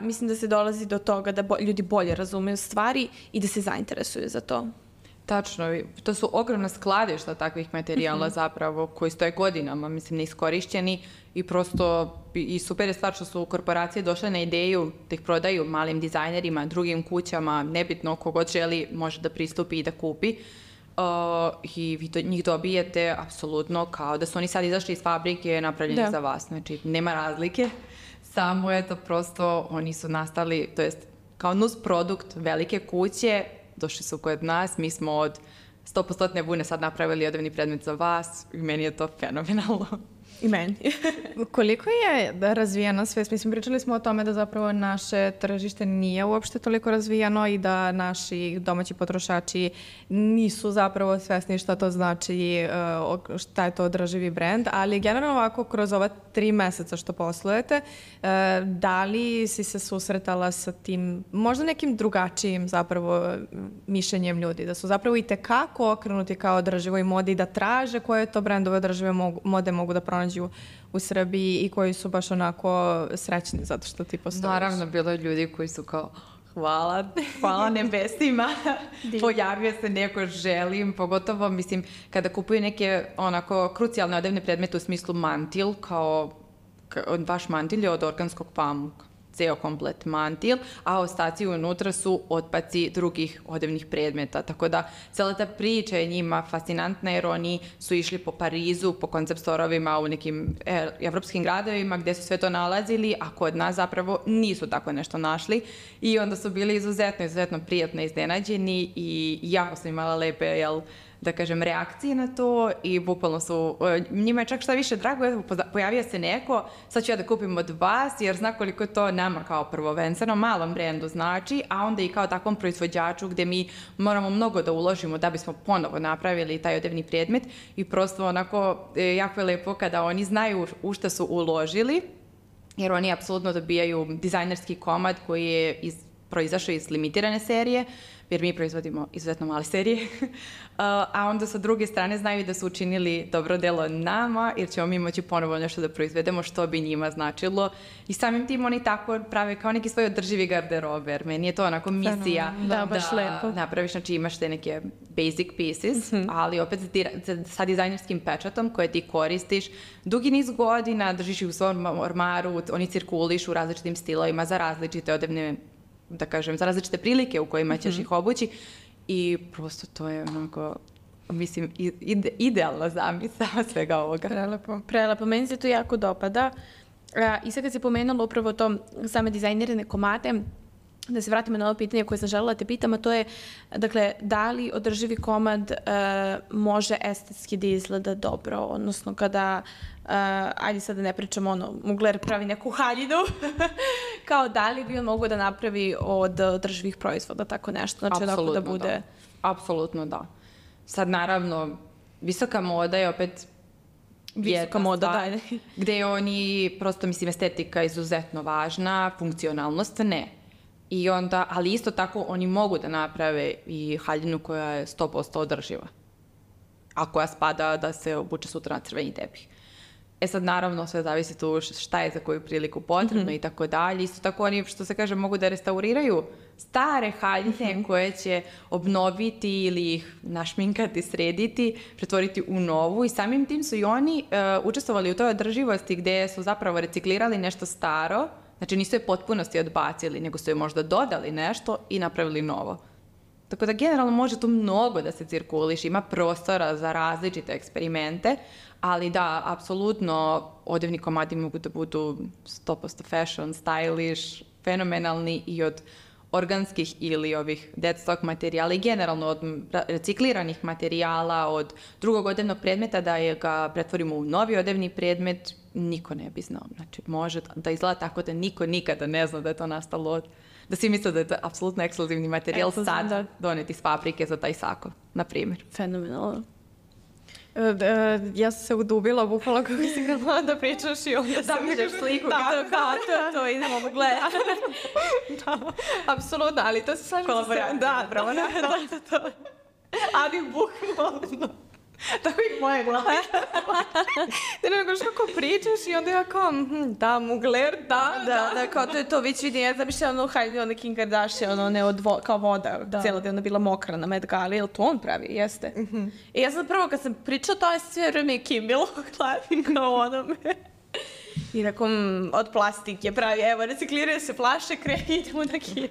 mislim da se dolazi do toga da ljudi bolje razumeju stvari i da se zainteresuju za to. Tačno, to su ogromna skladišta takvih materijala zapravo koji stoje godinama, mislim, neiskorišćeni i prosto i super je stvar što su korporacije došle na ideju da ih prodaju malim dizajnerima, drugim kućama, nebitno kogod želi može da pristupi i da kupi. I vi njih dobijete apsolutno kao da su oni sad izašli iz fabrike napravljeni za vas. Znači, nema razlike, samo je to prosto, oni su nastali, to jest kao nus produkt velike kuće, došli su kod nas, mi smo od 100% vune sad napravili odevni predmet za vas i meni je to fenomenalno. I meni. Koliko je razvijena svest? Mislim, pričali smo o tome da zapravo naše tržište nije uopšte toliko razvijano i da naši domaći potrošači nisu zapravo svesni šta to znači, šta je to održivi brend, ali generalno ovako kroz ova 3 meseca što poslujete, da li si se susretala sa tim možda nekim drugačijim zapravo mišljenjem ljudi, da su zapravo i tekako okrenuti kao održivoj modi, da traže koje to brendove održive mode mogu da pronađu u Srbiji i koji su baš onako srećni zato što ti postojiš. Naravno, bilo je ljudi koji su kao hvala nebesima, pojavio se neko, želim, pogotovo, mislim, kada kupuju neke onako krucijalne odevne predmete u smislu mantil, kao vaš mantil je od organskog pamuka, ceo komplet mantil, a ostaci unutra su otpaci drugih odevnih predmeta. Tako da, cijela ta priča je njima fascinantna jer oni su išli po Parizu, po koncept storovima u nekim evropskim gradovima gdje su sve to nalazili, a kod nas zapravo nisu tako nešto našli i onda su bili izuzetno prijatno iznenađeni i jako su imala lepe, da kažem, reakcije na to i bukvalno su, njima je čak šta više drago, pojavio se neko, sad ću ja da kupim od vas jer zna koliko to nama kao prvenstveno malom brendu znači, a onda i kao takvom proizvođaču gdje mi moramo mnogo da uložimo da bismo ponovo napravili taj odevni predmet i prosto onako jako je lepo kada oni znaju u šta su uložili, jer oni apsolutno dobijaju dizajnerski komad koji je proizašao iz limitirane serije, jer mi proizvodimo izuzetno male serije, a onda sa druge strane znaju da su učinili dobro delo nama, jer ćemo mi moći ponovo nešto da proizvedemo što bi njima značilo i samim tim oni tako prave kao neki svoj održivi garderobe, jer meni je to onako misija da lepo napraviš, znači imaš te neke basic pieces, ali opet sa dizajnerskim pečatom koje ti koristiš dugi niz godina, držiš ih u svom ormaru, oni cirkulišu u različitim stilovima za različite odevne, da kažem, za različite prilike u kojima ćeš ih obući i prosto to je onako, mislim, idealna zamisao svega ovoga. Prelepo. Meni se to jako dopada. I sad kad se pomenula upravo to same dizajnirane komade, da se vratimo na ovo pitanje koje sam želela te pitam, a to je, dakle, da li održivi komad može estetski da izgleda dobro, odnosno kada, ajde sad da ne pričamo Mugler pravi neku haljinu, kao da li bi on mogo da napravi od održivih proizvoda, tako nešto, znači onako da bude... Da. Apsolutno da. Sad naravno, visoka moda je opet visoka moda, da. Gde oni, prosto mislim, estetika je izuzetno važna, funkcionalnost ne. I onda, ali isto tako oni mogu da naprave i haljinu koja je 100% održiva. A koja spada da se obuče sutra na crveni tepih. Sad naravno sve zavisi tu šta je za koju priliku potrebno i tako dalje. Isto tako oni, što se kaže, mogu da restauriraju stare haljine koje će obnoviti ili ih našminkati, srediti, pretvoriti u novu i samim tim su i oni učestvovali u toj održivosti gde su zapravo reciklirali nešto staro. Znači nisu je potpunosti odbacili, nego su je možda dodali nešto i napravili novo. Tako da generalno može tu mnogo da se cirkuliš, ima prostora za različite eksperimente, ali da, apsolutno odevni komadi mogu da budu 100% fashion, stylish, fenomenalni i od organskih ili ovih deadstock materijala i generalno od recikliranih materijala, od drugog odevnog predmeta da ga pretvorimo u novi odevni predmet, niko ne bi znao. Znači, može da izgleda tako da niko nikada ne zna da je to nastalo da svi misle da je to apsolutno ekskluzivni materijal sad doneti s fabrike za taj sako, na primjer. Fenomenalno. Ja sam se udubila, bukvalno kako si krenula da pričaš i onda da vidiš sliku. To idemo gledati. Apsolutno, ali to se slažem. Kolaboracija. Da, bravo, to. Ali bukvalno. Tako i moje glave. Ti ne nego kako pričaš i onda ja kao, da, mugler, Da, kao to je to, već vidim, ja zamišljam ono Heidi, ono Kim Kardashian, kao voda, cijela da je ona bila mokra na Met Gali, jel to on pravi, jeste. I ja sam prvo kad sam pričala, to je sve vreme Kim bilo u glavi, kao onome. I rekao, od plastike pravi, evo, recikliraju se flaše, idemo na Kim.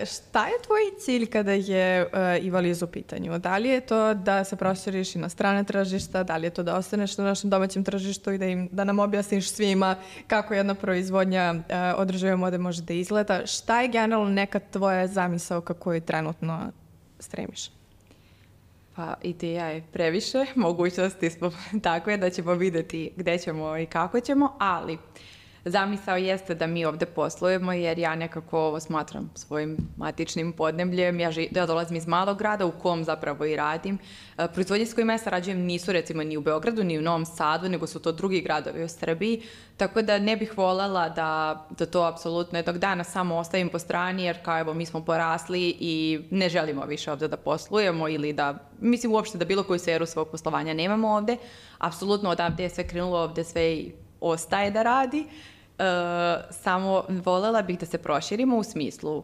Šta je tvoj cilj kada je Ivaliz u pitanju? Da li je to da se proširiš i na strane tržišta, da li je to da ostaneš na našem domaćem tržištu i da nam objasniš svima kako jedna proizvodnja održive mode može da izgleda? Šta je generalno neka tvoja zamisao kako je trenutno stremiš? Pa ideja je previše, mogućnosti smo takve da ćemo vidjeti gde ćemo i kako ćemo, ali zamisao jeste da mi ovde poslujemo jer ja nekako ovo smatram svojim matičnim podnebljem. Ja dolazim iz malog grada u kom zapravo i radim. Proizvodnje s kojima ja sarađujem nisu recimo ni u Beogradu ni u Novom Sadu, nego su to drugi gradovi u Srbiji. Tako da ne bih voljela da to apsolutno jednog dana samo ostavim po strani jer kao evo mi smo porasli i ne želimo više ovde da poslujemo ili mislim uopšte da bilo koju sferu svog poslovanja nemamo ovde. Apsolutno odavde je sve krenulo, ovde sve i ostaje da radi. Samo voljela bih da se proširimo u smislu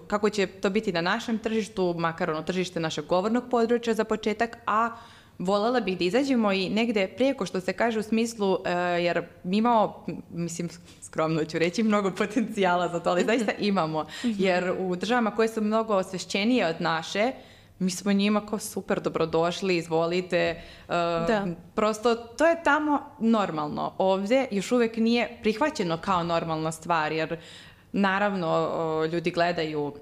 kako će to biti na našem tržištu, makar ono tržište našeg govornog područja za početak, a voljela bih da izađemo i negde prijeko što se kaže u smislu, jer mi imamo, mislim, skromno ću reći, mnogo potencijala za to, ali zaista imamo, jer u državama koje su mnogo osvešćenije od naše, mi smo njima kao super dobrodošli, izvolite. Prosto to je tamo normalno. Ovdje još uvijek nije prihvaćeno kao normalna stvar, jer naravno ljudi gledaju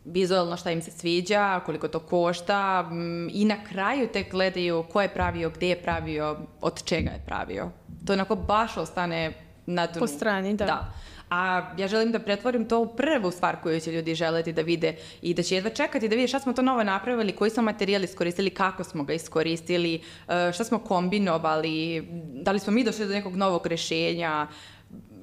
vizualno šta im se sviđa, koliko to košta i na kraju tek gledaju ko je pravio, gdje je pravio, od čega je pravio. To onako baš ostane na dnu. Po strani, da. A ja želim da pretvorim to u prvu stvar koju će ljudi želeti da vide i da će jedva čekati da vide šta smo to novo napravili, koji smo materijal iskoristili, kako smo ga iskoristili, šta smo kombinovali, da li smo mi došli do nekog novog rešenja.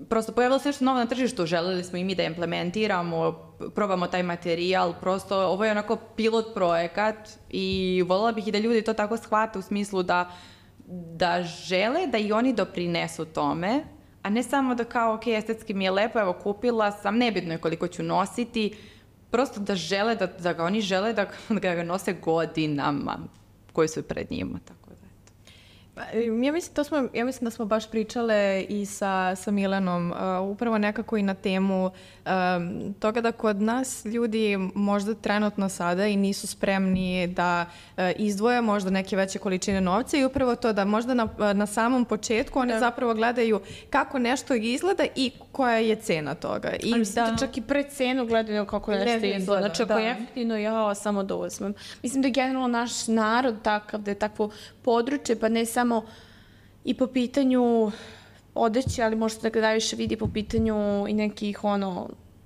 Prosto pojavilo se nešto novo na tržištu, želeli smo i mi da implementiramo, probamo taj materijal, prosto ovo je onako pilot projekat i voljela bih i da ljudi to tako shvate u smislu da žele da i oni doprinesu tome, a ne samo da kao, ok, estetski mi je lepo, evo kupila sam, nebitno je koliko ću nositi, prosto da žele, da ga oni žele da ga nose godinama koji su pred njima, tako da eto. Ja mislim da smo baš pričale i sa Milanom, upravo nekako i na temu toga da kod nas ljudi možda trenutno sada i nisu spremni da izdvoje možda neke veće količine novca i upravo to da možda na samom početku oni zapravo gledaju kako nešto izgleda i koja je cena toga. I da čak i pred cenu gledaju kako nešto izgleda. Znači ako je jeftino, ja samo da uzmem. Mislim da je generalno naš narod takav, da je takvo područje, pa ne samo i po pitanju odeće, ali možda da ga najviše vidi po pitanju i nekih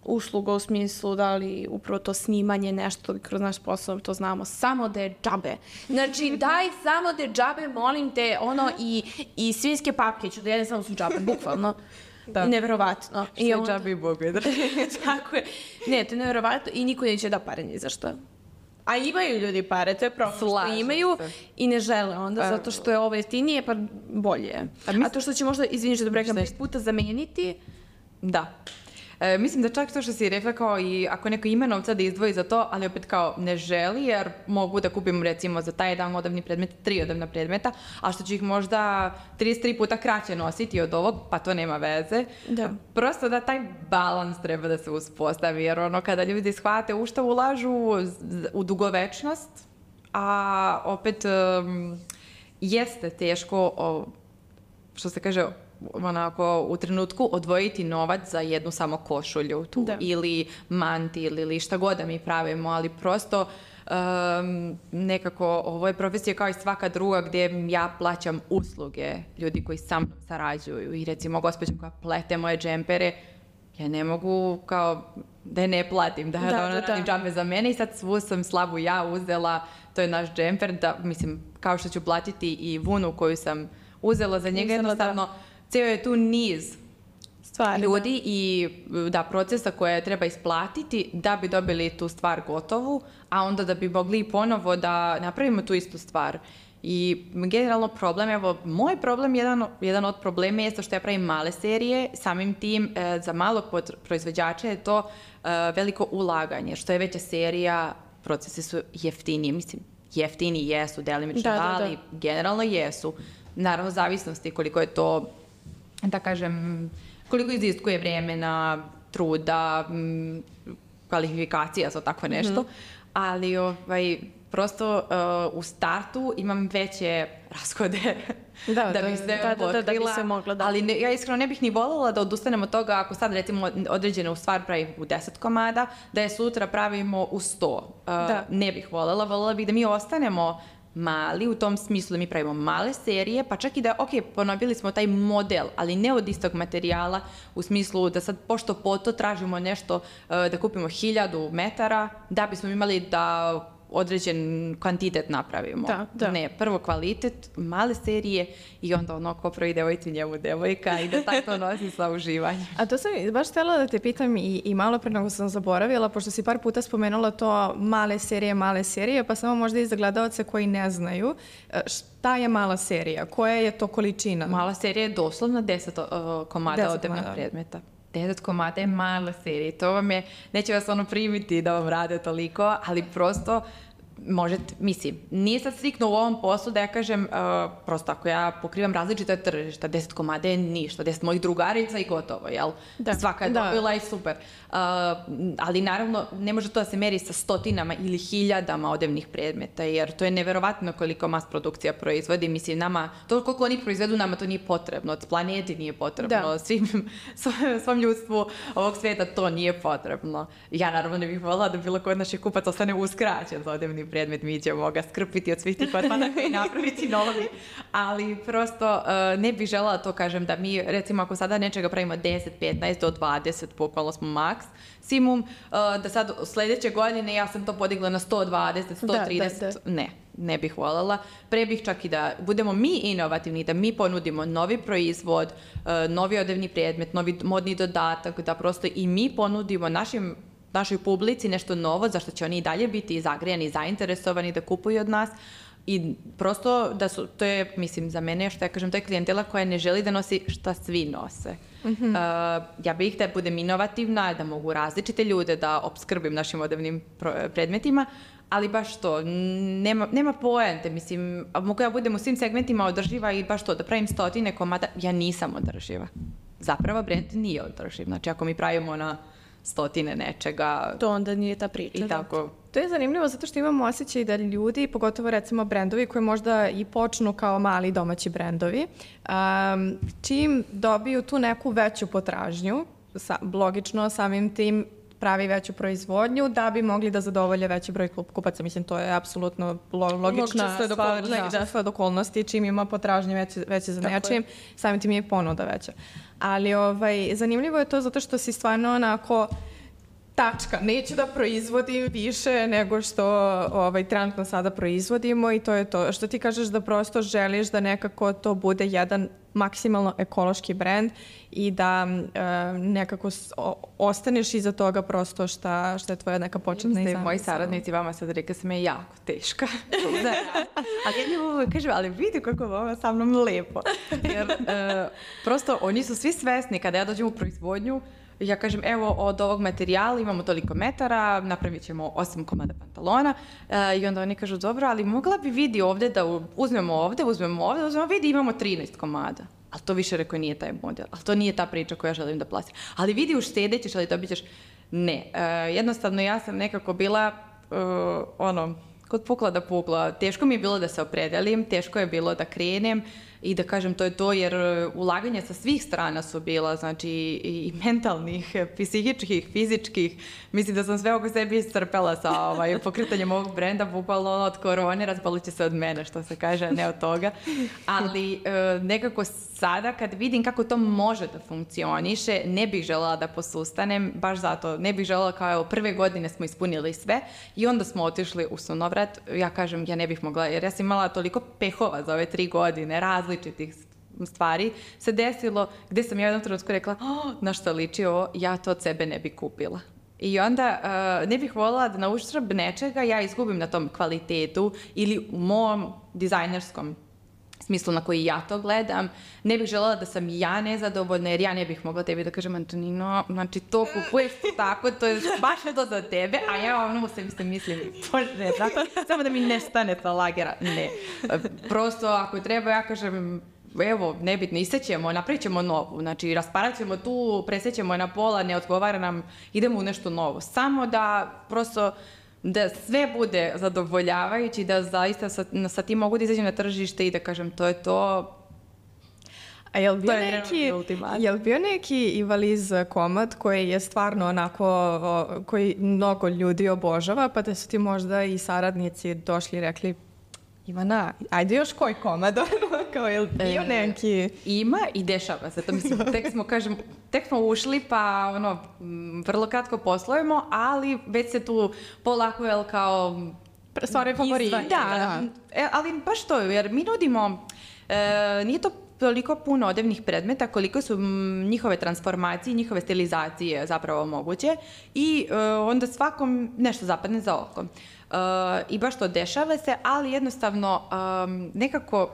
usluga u smislu da li upravo to snimanje nešto kroz naš posao, to znamo, samo da je džabe. Znači, daj samo da je džabe, molim te, i svinjske papke ću da jedem samo su džabe, bukvalno. Da. Neverovatno. Sve džabe i Bogu je drži. Tako je. Ne, to je neverovatno i niko neće da pare ni za što. A imaju ljudi pare, to je problem što imaju i ne žele onda, zato što je ovo jeftinije, pa bolje je. A to što će možda, izvini što da preklam, 5 puta zameniti, da. Mislim da čak to što si rekla kao i ako neko ima novca da izdvoji za to, ali opet kao ne želi jer mogu da kupim recimo za taj jedan odevni predmet 3 odevna predmeta, a što će ih možda 33 puta kraće nositi od ovog, pa to nema veze. Da. Prosto da taj balans treba da se uspostavi jer kada ljudi shvate u šta ulažu u dugovečnost, a opet jeste teško što se kaže onako u trenutku odvojiti novac za jednu samo košulju tu, ili mantil ili šta god da mi pravimo, ali prosto nekako ovo je profesija kao i svaka druga gdje ja plaćam usluge ljudi koji sa mnom sarađuju i recimo gospođa koja plete moje džempere, ja ne mogu kao da je ne platim, da ona radi džampe za mene i sad svu sam slabu ja uzela, to je naš džemper, da mislim kao što ću platiti i vunu koju sam uzela za njega, jednostavno cijel je tu niz ljudi i procesa koje treba isplatiti da bi dobili tu stvar gotovu, a onda da bi mogli ponovo da napravimo tu istu stvar. I generalno problem, evo, moj problem, jedan od problema je što ja pravim male serije, samim tim za malog proizvođača je to veliko ulaganje, što je veća serija, procesi su jeftiniji, mislim, jeftini jesu, delimično, ali generalno jesu. Naravno, zavisnosti koliko je to, da kažem, koliko iziskuje vremena, truda, kvalifikacija za tako nešto, ali prosto u startu imam veće rashode da bih sve pokrila, ali ja iskreno ne bih ni voljela da odustanem od toga ako sad recimo određenu stvar pravim u 10 komada, da je sutra pravimo u 100. Ne bih voljela bih da mi ostanemo mali, u tom smislu da mi pravimo male serije, pa čak i da, ponovili smo taj model, ali ne od istog materijala, u smislu da sad pošto po to tražimo nešto, da kupimo 1000 metara, da bismo imali da određen kvantitet napravimo. Ne, prvo kvalitet, male serije i onda ono ko prvi devojci njemu devojka i da tako to nosi sa uživanjem. A to sam baš htjela da te pitam i malo pre nego sam zaboravila, pošto si par puta spomenula to male serije, pa samo možda i za gledalce koji ne znaju. Šta je mala serija? Koja je to količina? Mala serija je doslovno 10 komada odevnih predmeta. 10 komada je mala serija. To vam je, neće vas primiti da vam rade toliko, ali prosto možete, mislim, nije sad striktno u ovom poslu da ja kažem, prosto ako ja pokrivam različite tržišta, 10 komada je ništa, 10 mojih drugarica i gotovo, jel? Svaka je dobila i super. Ali naravno, ne može to da se meri sa stotinama ili hiljadama odevnih predmeta, jer to je neverovatno koliko mas produkcija proizvodi. Mislim, nama, to koliko oni proizvedu, nama to nije potrebno, od planeti nije potrebno, svom ljudstvu ovog svijeta to nije potrebno. Ja naravno ne bih voljela da bilo ko od naših kupaca ostane uskraćen za odevni predmet, mi ćemo ga skrpiti od svih tih otpadaka i napraviti novi, ali prosto ne bih željela to kažem da mi, recimo ako sada nečega pravimo 10, 15 do 20, bukvalno smo maksimum, da sad sljedeće godine ja sam to podigla na 120, 130, ne bih voljela. Pre bih čak i da budemo mi inovativni, da mi ponudimo novi proizvod, novi odevni predmet, novi modni dodatak, da prosto i mi ponudimo našoj publici nešto novo, zašto će oni i dalje biti zagrijani i zainteresovani da kupuju od nas. I prosto to je, mislim, za mene, što ja kažem, to je klijentela koja ne želi da nosi šta svi nose. Ja bih da budem inovativna, da mogu različite ljude da opskrbim našim odevnim predmetima, ali baš to, nema poente, mislim, mogu ja budem u svim segmentima održiva i baš to, da pravim 100 komada, ja nisam održiva. Zapravo brand nije održiv, znači ako mi pravimo na 100 nečega. To onda nije ta priča. I tako. To je zanimljivo zato što imamo osjećaj da ljudi, pogotovo recimo brendovi koji možda i počnu kao mali domaći brendovi, čim dobiju tu neku veću potražnju, logično samim tim pravi veću proizvodnju da bi mogli da zadovolje veći broj kupaca. Mislim, to je apsolutno logična sled okolnosti. Čim ima potražnje veće za nečim, samim tim je ponuda veća. Ali zanimljivo je to zato što si stvarno onako tačka. Neću da proizvodim više nego što trenutno sada proizvodimo i to je to. Što ti kažeš da prosto želiš da nekako to bude jedan maksimalno ekološki brend i da nekako ostaneš iza toga prosto šta je tvoja neka početna izamisla. Moji saradnici vama sad rekli sam je jako teška. Ali ja njemu kažem, ali vidi kako je ovo sa mnom lepo. Jer prosto oni su svi svesni kada ja dođem u proizvodnju, ja kažem, evo, od ovog materijala imamo toliko metara, napravit ćemo 8 komada pantalona i onda oni kažu, dobro, ali mogla bi vidi ovdje da uzmemo vidi imamo 13 komada. Ali to više rekao nije taj model, ali to nije ta priča koju ja želim da plasim. Ali vidi uštedećeš, ali dobit ćeš. Ne, jednostavno ja sam nekako bila, kod pukla da pukla. Teško mi je bilo da se opredelim, teško je bilo da krenem. i da kažem to je to, jer ulaganja sa svih strana su bila, znači i mentalnih, psihičkih, fizičkih. Mislim da sam sve oko sebi iscrpela sa pokretanjem ovog brenda, bukvalno od korone razbolit će se od mene, što se kaže, ne od toga. Ali nekako sada kad vidim kako to može da funkcioniše, ne bih želela da posustanem, baš zato, ne bih želela kao evo, prve godine smo ispunili sve i onda smo otišli u sunovrat. Ja kažem, ja ne bih mogla, jer ja sam imala toliko pehova za ove 3 godine, različitih stvari se desilo, gde sam ja jednom trenutku rekla, na što liči ovo, ja to od sebe ne bi kupila. I onda ne bih voljela da na uštrb nečega ja izgubim na tom kvalitetu ili u mom dizajnerskom smislu na koji ja to gledam. Ne bih želela da sam ja nezadovoljna, jer ja ne bih mogla tebi da kažem, Antonino, znači to kupuješ tako, to je baš to za tebe, a ja ono se mislim, bože, samo da mi ne stane ta lagera. Ne. Prosto, ako treba, ja kažem, evo, nebitno, isećemo, napravit ćemo novu, znači rasparat ćemo tu, presećemo je na pola, ne odgovara nam, idemo u nešto novo. Samo da prosto da sve bude zadovoljavajući, da zaista sa tim mogu da izađem na tržište i da kažem to je to. A jel bio neki Ivaliz komad koji je stvarno onako, koji mnogo ljudi obožava, pa da su ti možda i saradnici došli i rekli, Ivana, ajde još koji komad, kao je bio neki... Ima i dešava se to, mislim, tek smo ušli, pa vrlo kratko poslujemo, ali već se tu polako, kao... Stvari favoriti. Da, ali baš to, jer mi nudimo, nije to toliko puno odevnih predmeta, koliko su njihove transformacije, njihove stilizacije zapravo moguće i onda svakom nešto zapadne za oko. I baš to dešava se, ali jednostavno nekako,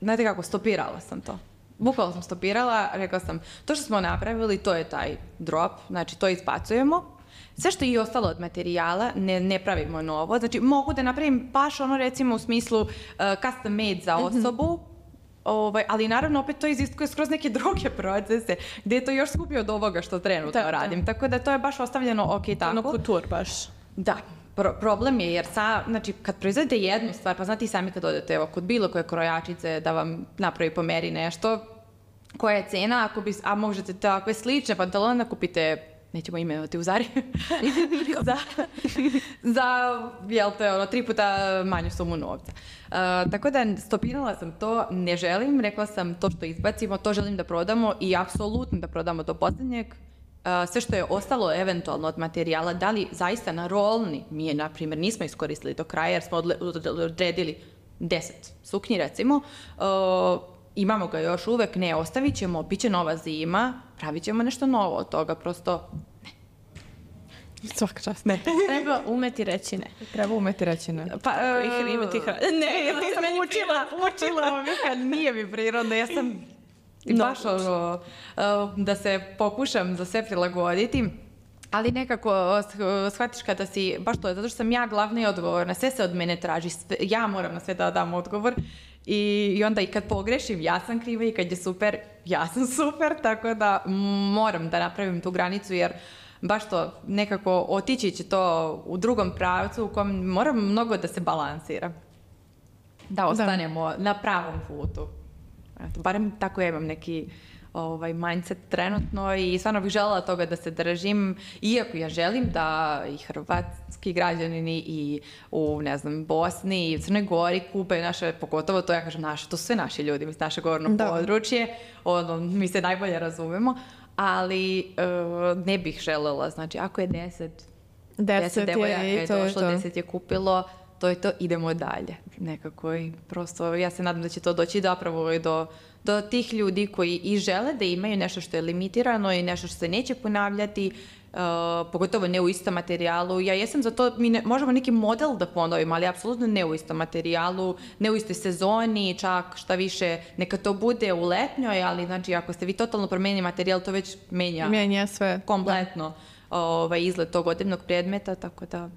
znate kako, stopirala sam to. Bukvalno sam stopirala, rekla sam, to što smo napravili, to je taj drop, znači to izbacujemo. Sve što je ostalo od materijala, ne pravimo novo. Znači, mogu da napravim baš recimo u smislu custom made za osobu, ali naravno opet to iziskuje skroz neke druge procese gdje je to još skuplje od ovoga što trenutno radim. Tako da to je baš ostavljeno tako. Kutur baš. Da. Problem je jer znači, kad proizvedete jednu stvar, pa znate i sami kad odete kod bilo koje krojačice da vam napravi po meri nešto, koja je cena, a možete takve slične pantalone kupite, nećemo imenovati u Zari, za jel te, 3 puta manju sumu novca. Tako da stopirala sam to, ne želim, rekla sam to što izbacimo, to želim da prodamo i apsolutno da prodamo do posljednjeg. Sve što je ostalo eventualno od materijala, da li zaista na rolni, mi je, na primjer, nismo iskoristili do kraja jer smo odredili 10 suknji, recimo, imamo ga još uvek, ne, ostavit ćemo, bit će nova zima, pravit ćemo nešto novo od toga, prosto ne. Svaka čast, ne. Treba umeti reći ne. Treba umeti reći ne. Pa, imati ne, ja sam učila, nije mi prirodno, ja sam baš da se pokušam za sve prilagoditi, ali nekako shvatiš kada si, baš to je, zato što sam ja glavna i odgovorna, sve se od mene traži, ja moram na sve da dam odgovor i onda i kad pogrešim, ja sam kriva i kad je super, ja sam super, tako da moram da napravim tu granicu jer baš to nekako otići će to u drugom pravcu u kojem moram mnogo da se balansira. Da ostanemo na pravom putu. Eto, barem tako ja imam neki mindset trenutno i stvarno bih željela toga da se držim, iako ja želim da i hrvatski građanini i u, ne znam, Bosni i Crnoj Gori kupe naše, pogotovo to ja kažem naše, to su sve naši ljudi, naše govorno područje, mi se najbolje razumemo, ali ne bih željela, znači ako je 10 devojaka je došlo, 10 je kupilo, to je to, idemo dalje. Nekako i prosto ja se nadam da će to doći zapravo do tih ljudi koji i žele da imaju nešto što je limitirano i nešto što se neće ponavljati, pogotovo ne u istom materijalu. Ja jesam za to, mi možemo neki model da ponovimo, ali apsolutno ne u istom materijalu, ne u istoj sezoni, čak šta više, neka to bude u letnjoj, ali znači ako ste vi totalno promenili materijal, to već menja sve kompletno izgled tog odevnog predmeta, tako da...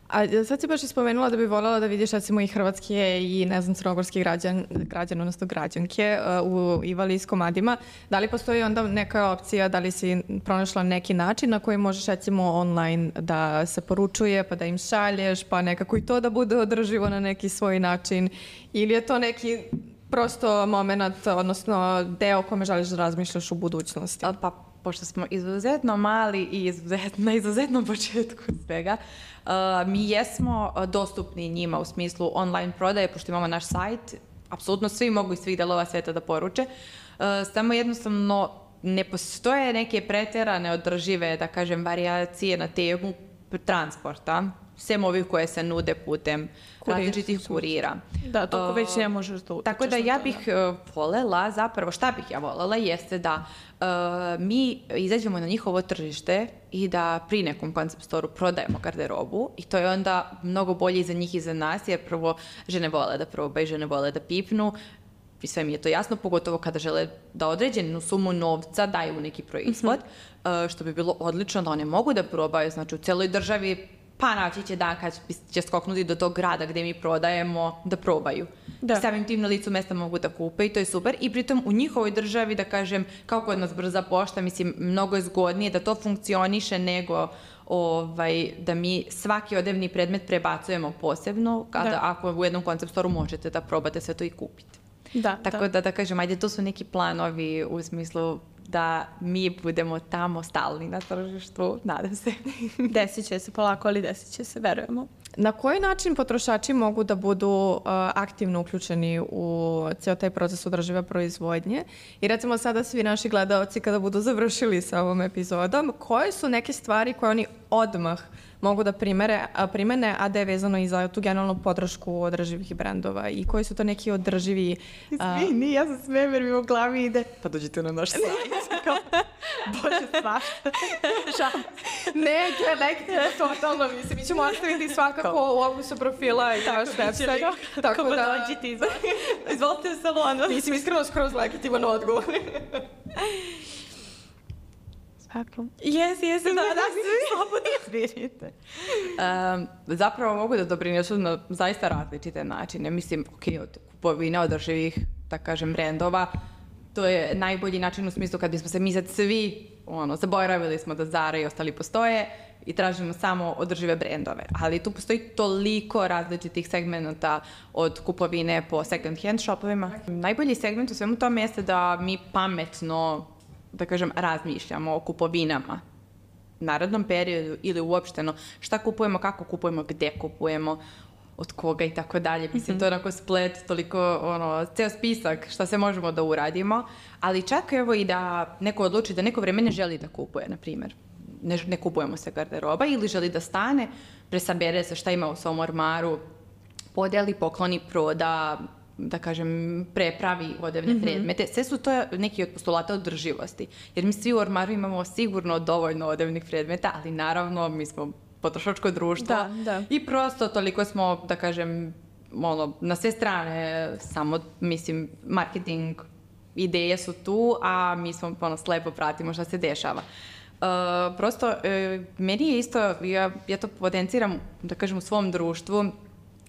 A sad si baš ispomenula da bi voljela da vidiš recimo i hrvatske i ne znam crnogorski građan, odnosno građanke u Ivaliz komadima. Da li postoji onda neka opcija, da li si pronašla neki način na koji možeš recimo online da se poručuje pa da im šalješ pa nekako i to da bude održivo na neki svoj način ili je to neki prosto moment, odnosno deo o kome želiš da razmišljaš u budućnosti? Pa, pošto smo izuzetno mali i na izuzetnom početku svega, mi jesmo dostupni njima u smislu online prodaje, pošto imamo naš sajt, apsolutno svi mogu iz svih delova sveta da poruče, samo jednostavno ne postoje neke preterane održive, da kažem, varijacije na temu transporta, sem ovih koje se nude putem različitih kurira. Da, toko već ne možeš da utičeš. Tako da ja bih volela, zapravo šta bih ja volela jeste da mi izađemo na njihovo tržište i da pri nekom concept store-u prodajemo garderobu i to je onda mnogo bolje i za njih i za nas, jer prvo žene vole da probaju, žene vole da pipnu i sve mi je to jasno, pogotovo kada žele da određenu sumu novca daju u neki proizvod, što bi bilo odlično da one mogu da probaju, znači u celoj državi, pa naći će dan kad će skoknuti do tog grada gde mi prodajemo da probaju. Da. Samim tim na licu mesta mogu da kupe i to je super. I pritom u njihovoj državi, da kažem, kao kod nas brza pošta, mislim, mnogo je zgodnije da to funkcioniše nego da mi svaki odevni predmet prebacujemo posebno, kada ako u jednom concept store-u možete da probate sve to i kupite. Tako da kažem, ajde, to su neki planovi u smislu da mi budemo tamo stalni na tržištu, nadam se. Desit će se polako, ali desit će se, verujemo. Na koji način potrošači mogu da budu aktivno uključeni u ceo taj proces održive proizvodnje? I recimo sada svi naši gledaoci kada budu završili sa ovom epizodom, koje su neke stvari koje oni odmah mogu da primene, a da je vezano i za tu generalnu podršku održivih brendova i koji su to neki održivi... Izvini, ja sam sve jer mi u glavi ide. Pa dođite na naš sajt. Bože, svašta. Ne, totalno, mislim, mi ćemo ostaviti svakako u opisu profila i naš website. Tako da dođite, izvolite u salonu. Mislim, iskreno skroz legitiman odgovor. Jes, da, slobodno izvirite. Zapravo mogu da doprinesu na zaista različite načine. Mislim, od kupovine održivih, da kažem, brendova, to je najbolji način u smislu kad bismo se mi sad svi, zaboravili smo da Zara i ostali postoje i tražimo samo održive brendove. Ali tu postoji toliko različitih segmenta od kupovine po second hand shopovima. Najbolji segment u svemu tome jeste da mi pametno, da kažem, razmišljamo o kupovinama narednom periodu ili uopšteno šta kupujemo, kako kupujemo, gde kupujemo, od koga i tako dalje. Mislim, to je onako splet, toliko, ceo spisak šta se možemo da uradimo, ali čak evo i da neko odluči da neko vreme ne želi da kupuje, na primjer. Ne kupujemo se garderoba ili želi da stane, presabere se šta ima u svom ormaru, podeli, pokloni, proda, da kažem, prepravi odevne predmete. Sve su to neki od postulata održivosti. Jer mi svi u ormaru imamo sigurno dovoljno odevnih predmeta, ali naravno mi smo potrošačko društvo i prosto toliko smo, da kažem, na sve strane, samo, mislim, marketing ideje su tu, a mi smo slepo pratimo šta se dešava. Prosto, meni je isto, ja to potenciram, da kažem, u svom društvu,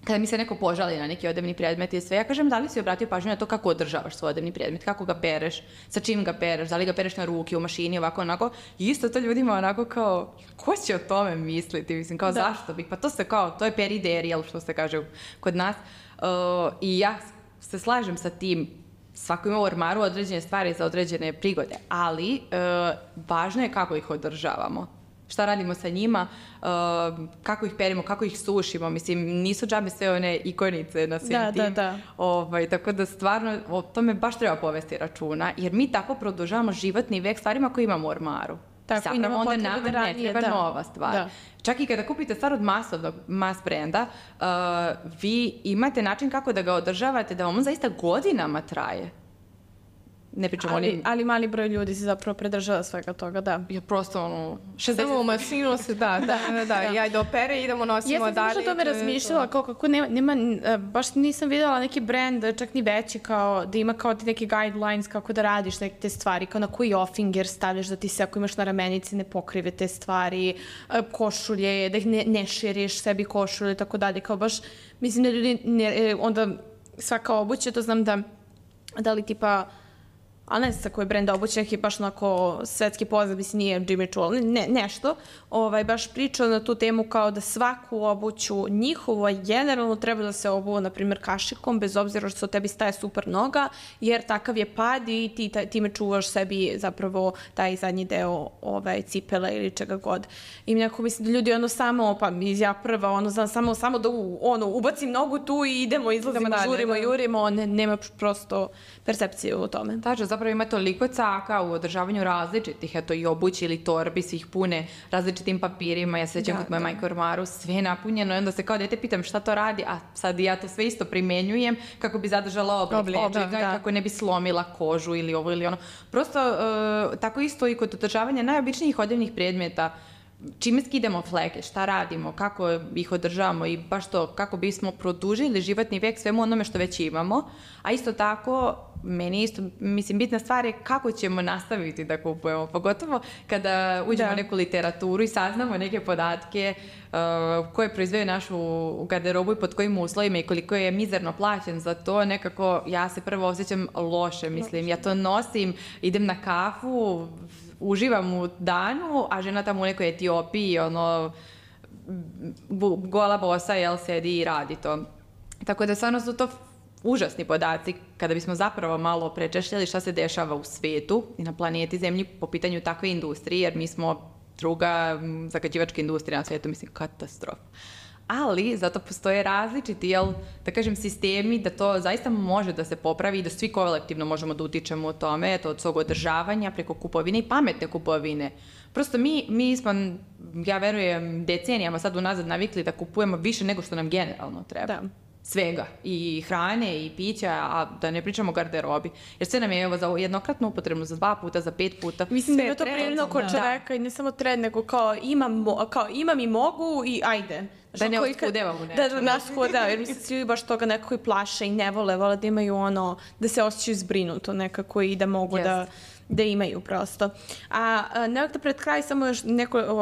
kada mi se neko požali na neki odevni predmet i sve, ja kažem, da li si obratio pažnju na to kako održavaš svoj odevni predmet, kako ga pereš, sa čim ga pereš, da li ga pereš na ruke, u mašini, ovako, onako. I isto to ljudima onako kao, ko će o tome misliti? Mislim, kao, zašto bih? Pa to se kao, to je periderijal, što se kaže kod nas. I ja se slažem sa tim, svako ima u ormaru određene stvari za određene prigode, ali važno je kako ih održavamo. Šta radimo sa njima, kako ih perimo, kako ih sušimo. Mislim, nisu džabe sve one ikonice na svim tim. Tako da stvarno o tome baš treba povesti računa, jer mi tako produžavamo životni vek stvarima koje imamo u ormaru. Zapravo onda nama ne treba nova stvar. Čak i kada kupite stvar od mas brenda, vi imate način kako da ga održavate, da vam on zaista godinama traje. Ne pričamo ali mali broj ljudi se zapravo predržava svega toga, da. Ja prosto, 60... u masinu se, ja i do opere idemo, nosimo dalje. Ja sam baš o tome razmišljala, kako nema, baš nisam vidjela neki brand, čak ni veći, kao da ima kao ti neki guidelines kako da radiš neke te stvari, kao na koji offinger stavljaš da ti se, ako imaš na ramenici, ne pokrive te stvari, košulje, da ih ne širiš sebi košulje, tako dalje, kao baš, mislim da ljudi, onda svaka obuća, to znam da li tipa ali ne znam sa koji brend obuće, neki baš onako svetski poznat, mislim nije Jimmy Choo, nešto, baš pričao na tu temu kao da svaku obuću njihovo generalno treba da se obuva, na primjer, kašikom, bez obzira što tebi staje super noga, jer takav je pad i ti time čuvaš sebi zapravo taj zadnji deo cipele ili čega god. I nekako mislim da ljudi samo, pa ja prva, samo da ubacim nogu tu i idemo, izlazimo, žurimo, jurimo, nema prosto percepcije u tome. Tačno, zapravo ima toliko caka u održavanju različitih, eto i obući ili torbi, svih pune različitim papirima, ja se sjećam kod moje majke u ormaru, sve je napunjeno i onda se kao dete pitam šta to radi, a sad ja to sve isto primenjujem kako bi zadržala oblik i kako ne bi slomila kožu ili ovo ili ono. Prosto, tako isto i kod održavanja najobičnijih odjevnih predmeta, čime skidamo fleke, šta radimo, kako ih održavamo i baš to, kako bismo produžili životni vijek svemu onome što već imamo, a isto tako, meni isto, mislim, bitna stvar je kako ćemo nastaviti da kupujemo, pogotovo kada uđemo u neku literaturu i saznamo neke podatke koje proizveju našu garderobu i pod kojim uslovima i koliko je mizerno plaćen za to, nekako ja se prvo osjećam loše, mislim, ja to nosim, idem na kafu, uživam u danu, a žena tamo u nekoj Etiopiji, gola bosa, sedi i radi to. Tako da stvarno su to užasni podaci kada bismo zapravo malo prečešljali šta se dešava u svetu i na planeti Zemlji po pitanju takve industrije, jer mi smo druga zagađivačka industrija na svijetu, mislim, katastrofa. Ali zato postoje različiti, da kažem, sistemi da to zaista može da se popravi i da svi kolektivno možemo da utičemo u tome, od svog održavanja preko kupovine i pametne kupovine. Prosto mi smo, ja verujem, decenijama sad unazad navikli da kupujemo više nego što nam generalno treba. Da. Svega. I hrane, i pića, a da ne pričamo o garderobi. Jer sve nam je za jednokratnu upotrebu, za 2 puta, za 5 puta. Mislim da je to prirodno kod čoveka i ne samo trend, nego kao imam i mogu i ajde. Da ne oskudevamo nešto. Da nas hudeva, jer mislim svi baš toga nekako i plaše i ne vole da imaju da se osjećaju zbrinuto nekako i da mogu da imaju prosto. A nekako pred kraj samo još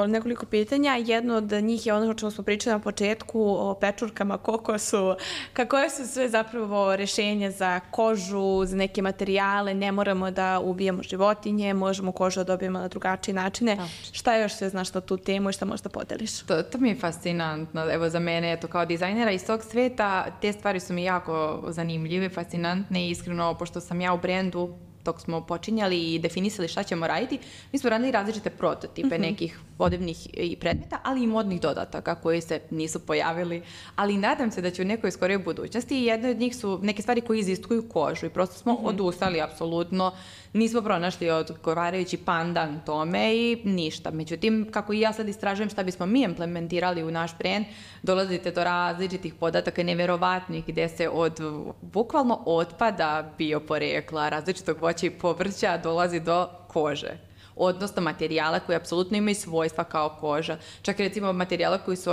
nekoliko pitanja. Jedno od njih je ono o čemu smo pričali na početku, o pečurkama, koje su sve zapravo rešenja za kožu, za neke materijale, ne moramo da ubijemo životinje, možemo kožu da dobijemo na drugačije načine. Šta još sve znaš na tu temu i šta možda podeliš? To mi je fascinantno. Evo za mene, kao dizajnera iz tog sveta, te stvari su mi jako zanimljive, fascinantne i iskreno, pošto sam ja u brendu, dok smo počinjali i definisali šta ćemo raditi, mi smo radili različite prototipe nekih odevnih predmeta, ali i modnih dodataka koji se nisu pojavili, ali nadam se da će u nekoj skorijoj budućnosti i jedne od njih su neke stvari koje iziskuju kožu i prosto smo odustali apsolutno, nismo pronašli odgovarajući pandan tome i ništa. Međutim, kako i ja sad istražujem šta bismo mi implementirali u naš brend, dolazite do različitih podataka neverovatnih gdje se od bukvalno otpada bioporekla, različitog voća i povrća dolazi do kože. Odnosno materijala koji apsolutno imaju svojstva kao koža. Čak i recimo materijala koji su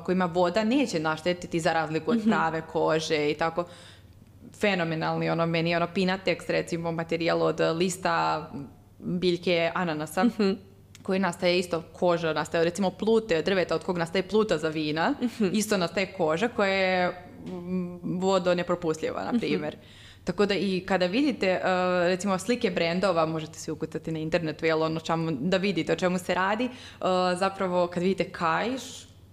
kojima voda neće naštetiti za razliku od prave kože i tako. Fenomenalni, meni je Pinatex, recimo materijal od lista biljke ananasa, koji nastaje isto koža, nastaje recimo plute od drveta od kog nastaje pluta za vina, isto nastaje koža koja je vodonepropustljiva, na primjer. Tako da i kada vidite, recimo, slike brendova, možete se ukucati na internetu, da vidite o čemu se radi, zapravo kad vidite kaiš,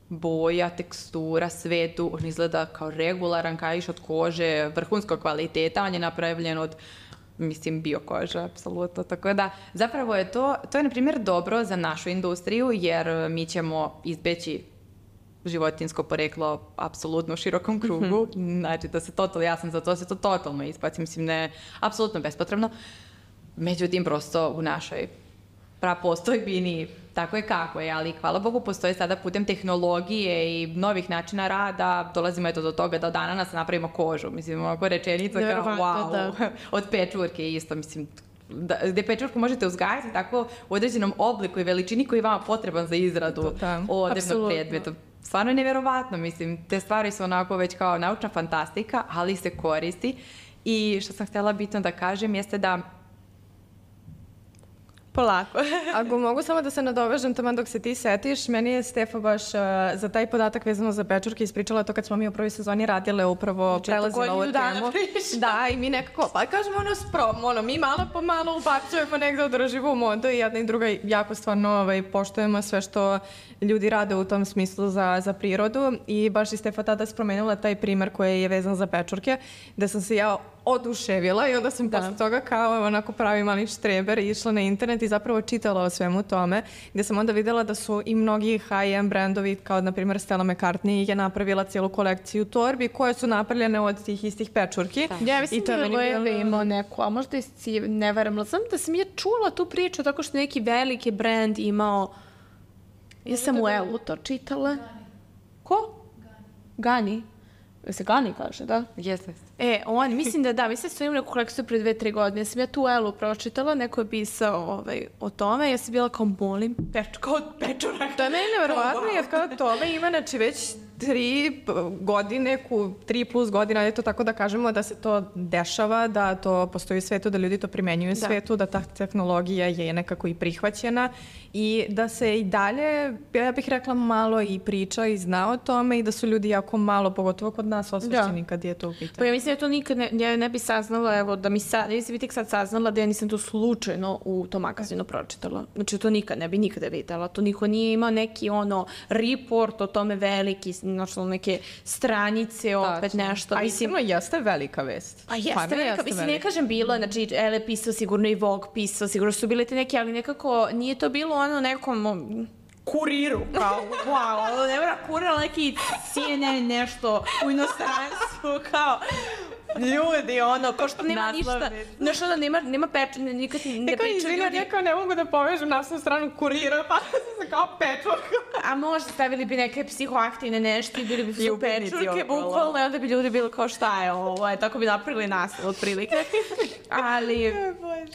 boja, tekstura, svetu, on izgleda kao regularan kaiš od kože, vrhunskog kvaliteta, on je napravljen od, mislim, biokoža, apsolutno. Tako da, zapravo je to je, na primjer, dobro za našu industriju, jer mi ćemo izbeći životinsko poreklo apsolutno u širokom krugu, znači da se ja sam za to se to totalno ispaci, mislim, ne, apsolutno bespotrebno. Međutim, prosto u našoj prapostojbini tako je kako je, ali hvala Bogu postoje sada putem tehnologije i novih načina rada, dolazimo do toga da od ananasa napravimo kožu, mislim, ovako rečenica kao wow, od pečurke isto, mislim, gde pečurku možete uzgajati tako u određenom obliku i veličini koji je vama potreban za izradu odevnog predmeta. Stvarno je nevjerovatno, mislim, te stvari su onako već kao naučna fantastika, ali se koristi. I što sam htjela bitno da kažem jeste da polako. Ako mogu samo da se nadovežem tamo dok se ti setiš, meni je Stefa baš za taj podatak vezano za pečurke ispričala to kad smo mi u prvoj sezoni radile upravo prelazila ovu temu. Da, i mi nekako, pa kažemo mi malo po malo ubacujemo negde održivu modu i jedna i druga jako stvarno poštujemo sve što ljudi rade u tom smislu za prirodu i baš i Stefa tada spomenula taj primer koji je vezan za pečurke, da sam se ja oduševila i onda sam posle toga kao onako pravi mali štreber išla na internet i zapravo čitala o svemu tome, gde sam onda videla da su i mnogi high-end brandovi, kao na primjer Stella McCartney je napravila cijelu kolekciju torbi koje su napravljene od tih istih pečurki. Ja mislim da je imao neku, a možda si ne varam, znam da sam ja čula tu priču tako što neki veliki brand imao, ja sam u Elu to čitala. Ko? Gani. Se Gani kaže, da? Jeste. Mislim da, mislim da su imali neku kolekciju pre 2-3 godine. Ja sam ja tu u Elu pročitala, neko je pisao o tome. Ja sam bila kao molim, kao pečurak. To je meni nevjerovatno, jer kao tome ima već 3 godine, 3+ godina, je to tako da kažemo da se to dešava, da to postoji u svetu, da ljudi to primenjuju u svetu, da ta tehnologija je nekako i prihvaćena i da se i dalje, ja bih rekla, malo i priča i zna o tome i da su ljudi jako malo, pogotovo kod nas, osvešćeni kad je to u pitanju. Pa ja mislim da to nikad ne bi saznala, evo da mi sad, ja sam tek sad saznala da ja nisam to slučajno u tom magazinu pročitala. Znači to nikad ne bi nikada videla. To niko nije imao neki report o tome veliki, znači neke stranice, opet nešto. A iskreno jeste velika vest. A jeste velika, mislim, ne kažem bilo, znači Elle pisao, sigurno i Vogue pisao, sigurno su bile te neke, ali nekako nije to bilo nekom kuriru, kao, wow, ne mora kurir, ali neki CNN nešto u inostranstvu, kao, ljudi, kao što nema ništa, nešto da nema pečenja, nikad ne priča ljudi. Ja kao ne mogu da povežem naslovnu stranu kurira, pa sam se kao pečurka. A možda stavili bi neke psihoaktivne nešto i bili bi su pečurke, bukvalno, i onda bi ljudi bili kao šta je ovo, tako bi napravili naslov otprilike. Ali,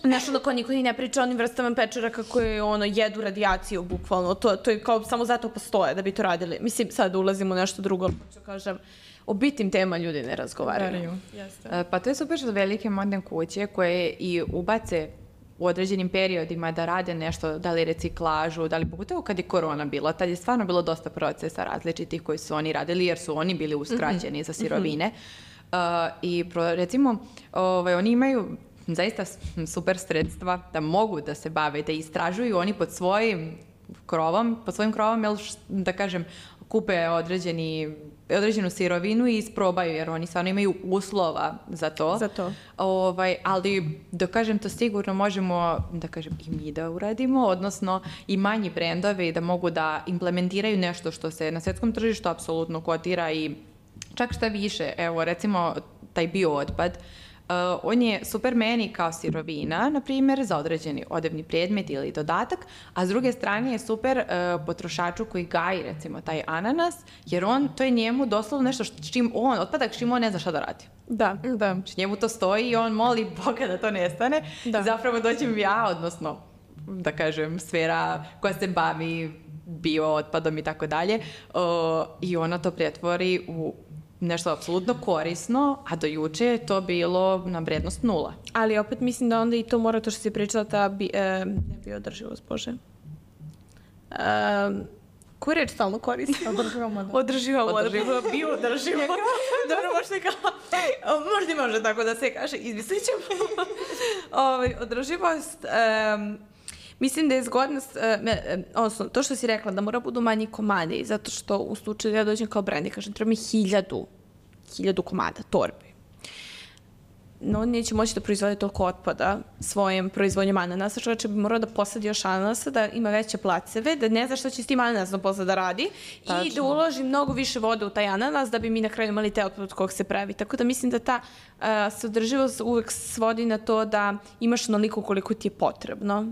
nešto da niko ni ne priča o onim vrstama pečuraka koje jedu radijaciju, bukvalno, to je kao samo zato postoje da bi to radili. Mislim, sad ulazimo u nešto drugo, što kažem, o bitnim tema ljudi ne razgovaraju. Pa to je super što velike modne kuće koje i ubace u određenim periodima da rade nešto, da li reciklažu, da li pogotovo kad je korona bila, tad je stvarno bilo dosta procesa različitih koji su oni radili jer su oni bili uskraćeni za sirovine. I recimo, oni imaju zaista super sredstva da mogu da se bave, da istražuju oni pod svojim krovom, da kažem, kupe određenu sirovinu i isprobaju, jer oni stvarno imaju uslova za to. Ali, da kažem, to sigurno možemo, da kažem, i mi da uradimo, odnosno i manji brendovi da mogu da implementiraju nešto što se na svetskom tržištu apsolutno kotira i čak šta više, evo, recimo, taj biootpad, on je super meni kao sirovina, na primjer, za određeni odevni predmet ili dodatak, a s druge strane je super potrošaču koji gaji, recimo, taj ananas, jer to je njemu doslovno nešto otpadak s čim on ne zna šta da radi. Da. Znači, njemu to stoji i on moli Boga da to nestane. Zapravo dođem ja, odnosno, da kažem, sfera koja se bavi biootpadom i tako dalje, i ona to pretvori u nešto apsolutno korisno, a do juče je to bilo na vrednost 0. Ali opet mislim da onda i to mora to što si pričala, ta bioodrživost, Bože. Koju reč stalno koristim? Održiva, bioodrživo. Dobro, možda može tako da se kaže, izmislit ćemo. Održivost, mislim da je zgodno, odnosno, to što si rekla, da mora budu manji komadi, zato što u slučaju da ja dođem kao brand i kažem, treba mi 1000 komada, torbi. No, on neće moći da proizvode toliko otpada svojim proizvodnjom ananasa, čovječe bi morao da posadi još ananasa, da ima veće placeve, da ne zna šta će s tim ananasom posle da radi i da uloži mnogo više vode u taj ananas da bi mi na kraju imali te otpad od kog se pravi. Tako da mislim da ta saodrživost uvek svodi na to da imaš onoliko koliko ti je potrebno.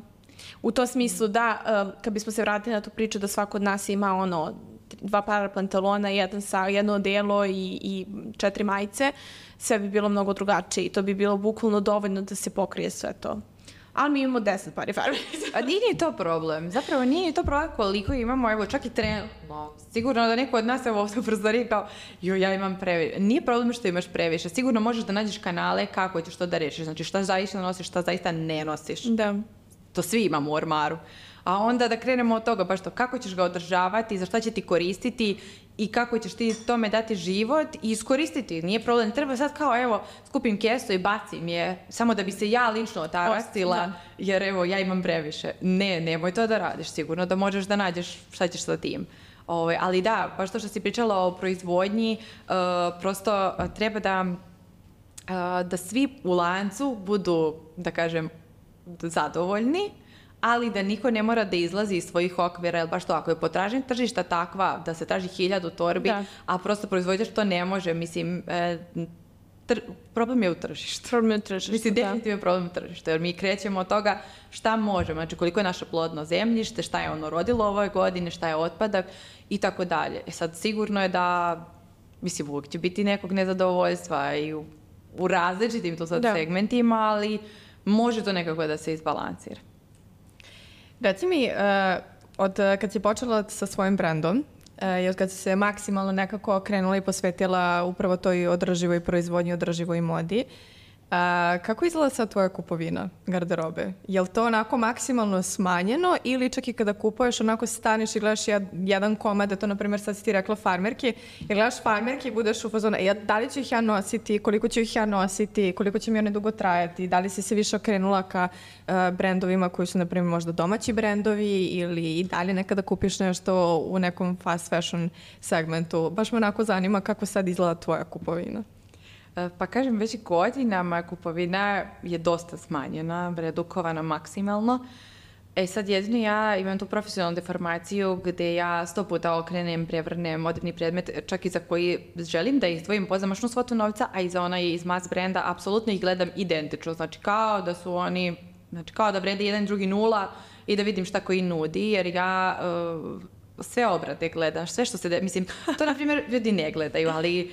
U tom smislu da, kad bismo se vratili na tu priču da svako od nas ima 2 para pantalona, jedno odelo i 4 majice, sve bi bilo mnogo drugačije i to bi bilo bukvalno dovoljno da se pokrije sve to. Ali mi imamo 10 pari farmerisa. A nije to problem. Zapravo nije to problem koliko imamo, evo, čak i trenutno. Sigurno da neko od nas evo ovdje u prozoriji kao, ja imam previše. Nije problem što imaš previše. Sigurno možeš da nađeš kanale kako ćeš to da rešiš. Znači šta zaista nosiš, šta zaista ne nosiš. Da. to svi imamo u ormaru. A onda da krenemo od toga, baš to, kako ćeš ga održavati, za šta će ti koristiti i kako ćeš ti tome dati život i iskoristiti. Nije problem, ne treba sad kao, evo, skupim kesu i bacim je, samo da bi se ja lično otarastila, jer evo, ja imam previše. Ne, nemoj to da radiš, sigurno da možeš da nađeš šta ćeš sa tim. Ali da, baš to što si pričala o proizvodnji, prosto treba da svi u lancu budu, da kažem, zadovoljni, ali da niko ne mora da izlazi iz svojih okvira, jer baš to, ako je potražnja tržišta takva da se traži 1000 torbi, a prosto proizvođač to ne može, mislim, problem je u tržištu. Mislim, definitivno je problem u tržištu, jer mi krećemo od toga šta možemo, znači koliko je naše plodno zemljište, šta je ono rodilo ove godine, šta je otpadak i tako dalje. Sad, sigurno je da, mislim, uvijek će biti nekog nezadovoljstva i u različitim to sad segmentima, ali može to nekako da se izbalansira. Reci mi, od kad si počela sa svojim brendom i od kad si se maksimalno nekako okrenula i posvetila upravo toj održivoj proizvodnji, održivoj modi, kako izgleda sad tvoja kupovina garderobe? Je li to onako maksimalno smanjeno ili čak i kada kupuješ onako staneš i gledaš jedan komad, to na primjer sad si ti rekla farmerki, i gledaš farmerki i budeš u fazonu, da li ću ih ja nositi, koliko ću ih ja nositi, koliko će mi one dugo trajati, da li si se više okrenula ka brendovima koji su na primjer možda domaći brendovi ili i dalje nekada kupiš nešto u nekom fast fashion segmentu? Baš me onako zanima kako sad izgleda tvoja kupovina. Pa kažem, već godinama kupovina je dosta smanjena, redukovana maksimalno. Sad jedino ja imam tu profesionalnu deformaciju gde ja 100 puta okrenem, prevrnem moderni predmet, čak i za koji želim da izdvojim pozamašnu svotu novca, a i za onaj iz mass brenda, apsolutno ih gledam identično. Znači kao da su oni, znači kao da vrede jedan drugi nula i da vidim šta koji nudi, jer ja sve obrade gledaš, sve što se... Mislim, to na primjer ljudi ne gledaju, ali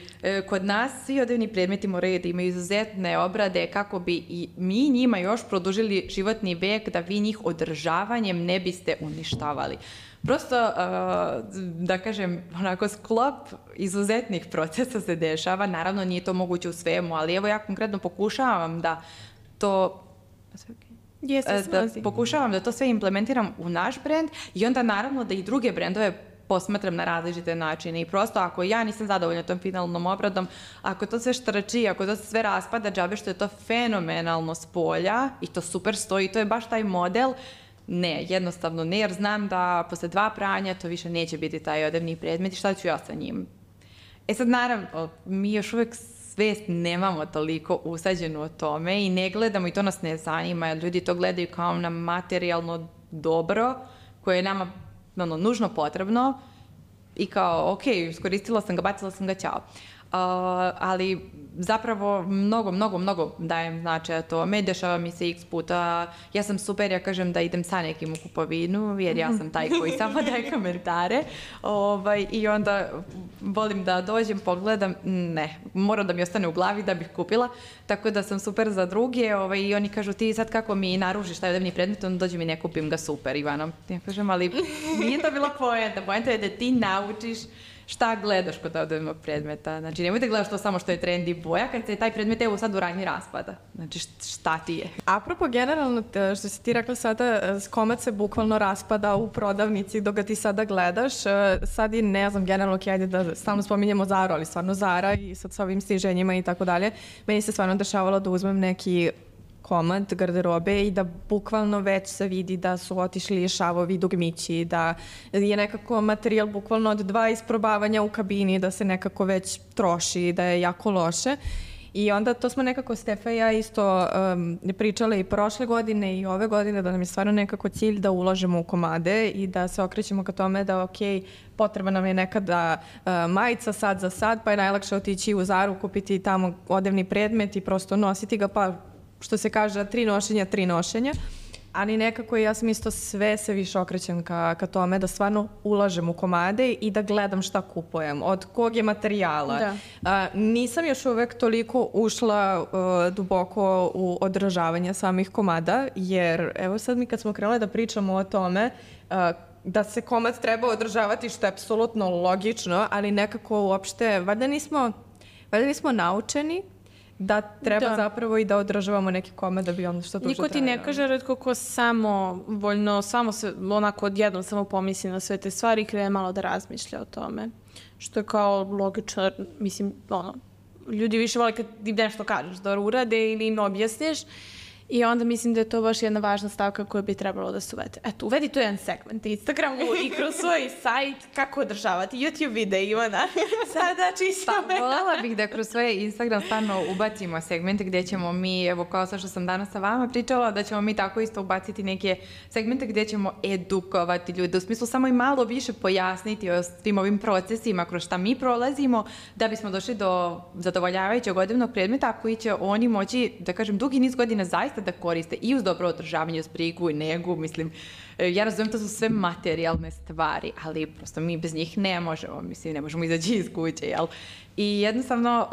kod nas svi odevni predmeti moraju da imaju izuzetne obrade kako bi i mi njima još produžili životni vek, da vi njih održavanjem ne biste uništavali. Prosto, da kažem, onako sklop izuzetnih procesa se dešava. Naravno, nije to moguće u svemu, ali evo ja konkretno pokušavam da to... pokušavam da to sve implementiram u naš brend i onda naravno da i druge brendove posmatram na različite načine i prosto ako ja nisam zadovoljna tom finalnom obradom, ako to sve štrči, ako to sve raspada džabe što je to fenomenalno s polja i to super stoji, to je baš taj model, ne, jednostavno ne, jer znam da posle 2 pranja to više neće biti taj odevni predmet i šta ću ja sa njim. Sad naravno, mi još uvek svest nemamo toliko usađenu o tome i ne gledamo i to nas ne zanima, jer ljudi to gledaju kao na materijalno dobro koje je nama nužno potrebno i kao, ok, iskoristila sam ga, bacila sam ga, ćao. Ali zapravo mnogo dajem značaja tome, dešava mi se x puta, ja sam super, ja kažem da idem sa nekim u kupovinu, jer ja sam taj koji samo daje komentare i onda volim da dođem, pogledam, ne, mora da mi ostane u glavi da bih kupila, tako da sam super za druge i oni kažu ti sad kako mi naružiš taj odevni predmet, onda dođem i ne kupim ga, super Ivana. Ja kažem, ali nije to bila poenta je da ti naučiš šta gledaš kod odevnog predmeta. Znači, nemoj da gledaš to samo što je trendy boja, kad se taj predmet evo sad u ranji raspada. Znači, šta ti je? Apropo, generalno, što si ti rekla sada, komad se bukvalno raspada u prodavnici dok ga ti sada gledaš. Sad i ne znam, generalno, ajde da stalno spominjemo Zaru, ali stvarno Zara i sad sa ovim sniženjima i tako dalje. Meni se stvarno dešavalo da uzmem neki komad garderobe i da bukvalno već se vidi da su otišli šavovi, dugmići, da je nekako materijal bukvalno od 2 isprobavanja u kabini, da se nekako već troši, da je jako loše. I onda to smo nekako Stefa i ja isto pričale i prošle godine i ove godine, da nam je stvarno nekako cilj da ulažemo u komade i da se okrećemo ka tome da ok, potreba nam je nekada majica sad za sad, pa je najlakše otići u Zaru, kupiti tamo odevni predmet i prosto nositi ga, pa što se kaže, 3 nošenja, ali nekako ja sam isto sve se više okrećem ka tome da stvarno ulažem u komade i da gledam šta kupujem, od kog je materijala. Nisam još uvek toliko ušla duboko u održavanje samih komada, jer evo sad mi kad smo krenule da pričamo o tome da se komad treba održavati, što je apsolutno logično, ali nekako uopšte, valjda nismo naučeni da treba zapravo i da održavamo neki komad da bi on što duže Niko ti ne kaže retko ko samovoljno, samo se onako odjednom samo pomisli na sve te stvari i krene malo da razmišlja o tome. Što je kao logično, mislim, ljudi više vole kad ti nešto kažeš da urade ili im objasniš. I onda mislim da je to baš jedna važna stavka koja bi trebalo da se uvede. Eto, uvedi to jedan segment Instagramu i kroz svoj sajt kako održavati YouTube videa, Ivana. Sada čisto. Voljela bih da kroz svoj Instagram stvarno ubacimo segmente gdje ćemo mi, evo kao sa što sam danas sa vama pričala, da ćemo mi tako isto ubaciti neke segmente gdje ćemo edukovati ljude, u smislu samo i malo više pojasniti o svim ovim procesima kroz šta mi prolazimo, da bismo došli do zadovoljavajućeg godovnog predmeta koji će oni moći, da kažem, dugi niz godina zaista da koriste i uz dobro održavanje, uz brigu i negu, mislim, ja razumijem, to su sve materijalne stvari, ali prosto mi bez njih ne možemo, mislim, ne možemo izaći iz kuće, jel? I jednostavno,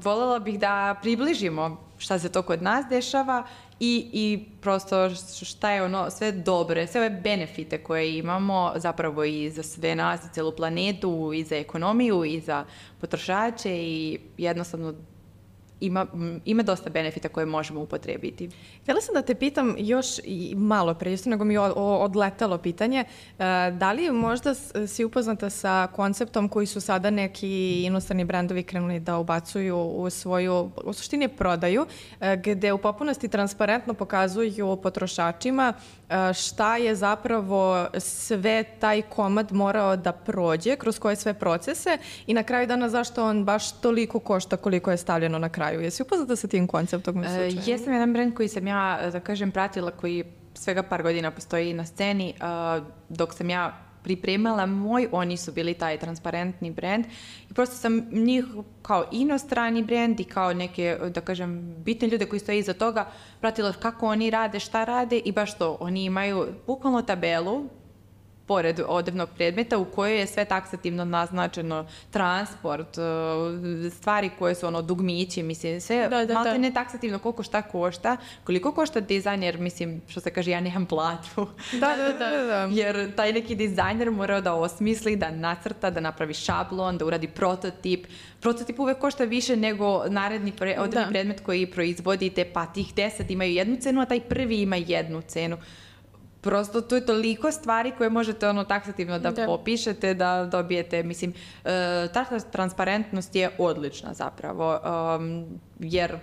voljela bih da približimo šta se to kod nas dešava i prosto šta je ono sve dobre, sve ove benefite koje imamo zapravo i za sve nas, za celu planetu, i za ekonomiju, i za potrošače i jednostavno ima dosta benefita koje možemo upotrebiti. Htjela sam da te pitam još i malo pre, isto nego mi je odletalo pitanje, da li možda si upoznata sa konceptom koji su sada neki inostrani brendovi krenuli da ubacuju u svoju, u suštini prodaju, gde u potpunosti transparentno pokazuju potrošačima šta je zapravo sve taj komad morao da prođe, kroz koje sve procese i na kraju dana zašto on baš toliko košta koliko je stavljeno na kraju. Jesi upoznata sa tim konceptom? Jesam jedan brend koji sam ja, da kažem, pratila, koji svega par godina postoji na sceni. Dok sam ja pripremala oni su bili taj transparentni brend i prosto sam njih kao inostrani brend i kao neke, da kažem, bitne ljude koji stoje iza toga pratila kako oni rade, šta rade i baš to. Oni imaju bukvalno tabelu pored odevnog predmeta u kojoj je sve taksativno naznačeno, transport, stvari koje su dugmići, mislim, sve malo ne taksativno koliko šta košta, koliko košta dizajner, mislim, što se kaže, ja nemam platu. Da. Jer taj neki dizajner mora da osmisli, da nacrta, da napravi šablon, da uradi prototip. Prototip uvek košta više nego naredni odevni predmet koji proizvodite, pa tih 10 imaju jednu cenu, a taj prvi ima jednu cenu. Prosto to je toliko stvari koje možete taksativno da popišete, da dobijete, mislim, ta transparentnost je odlična zapravo, jer,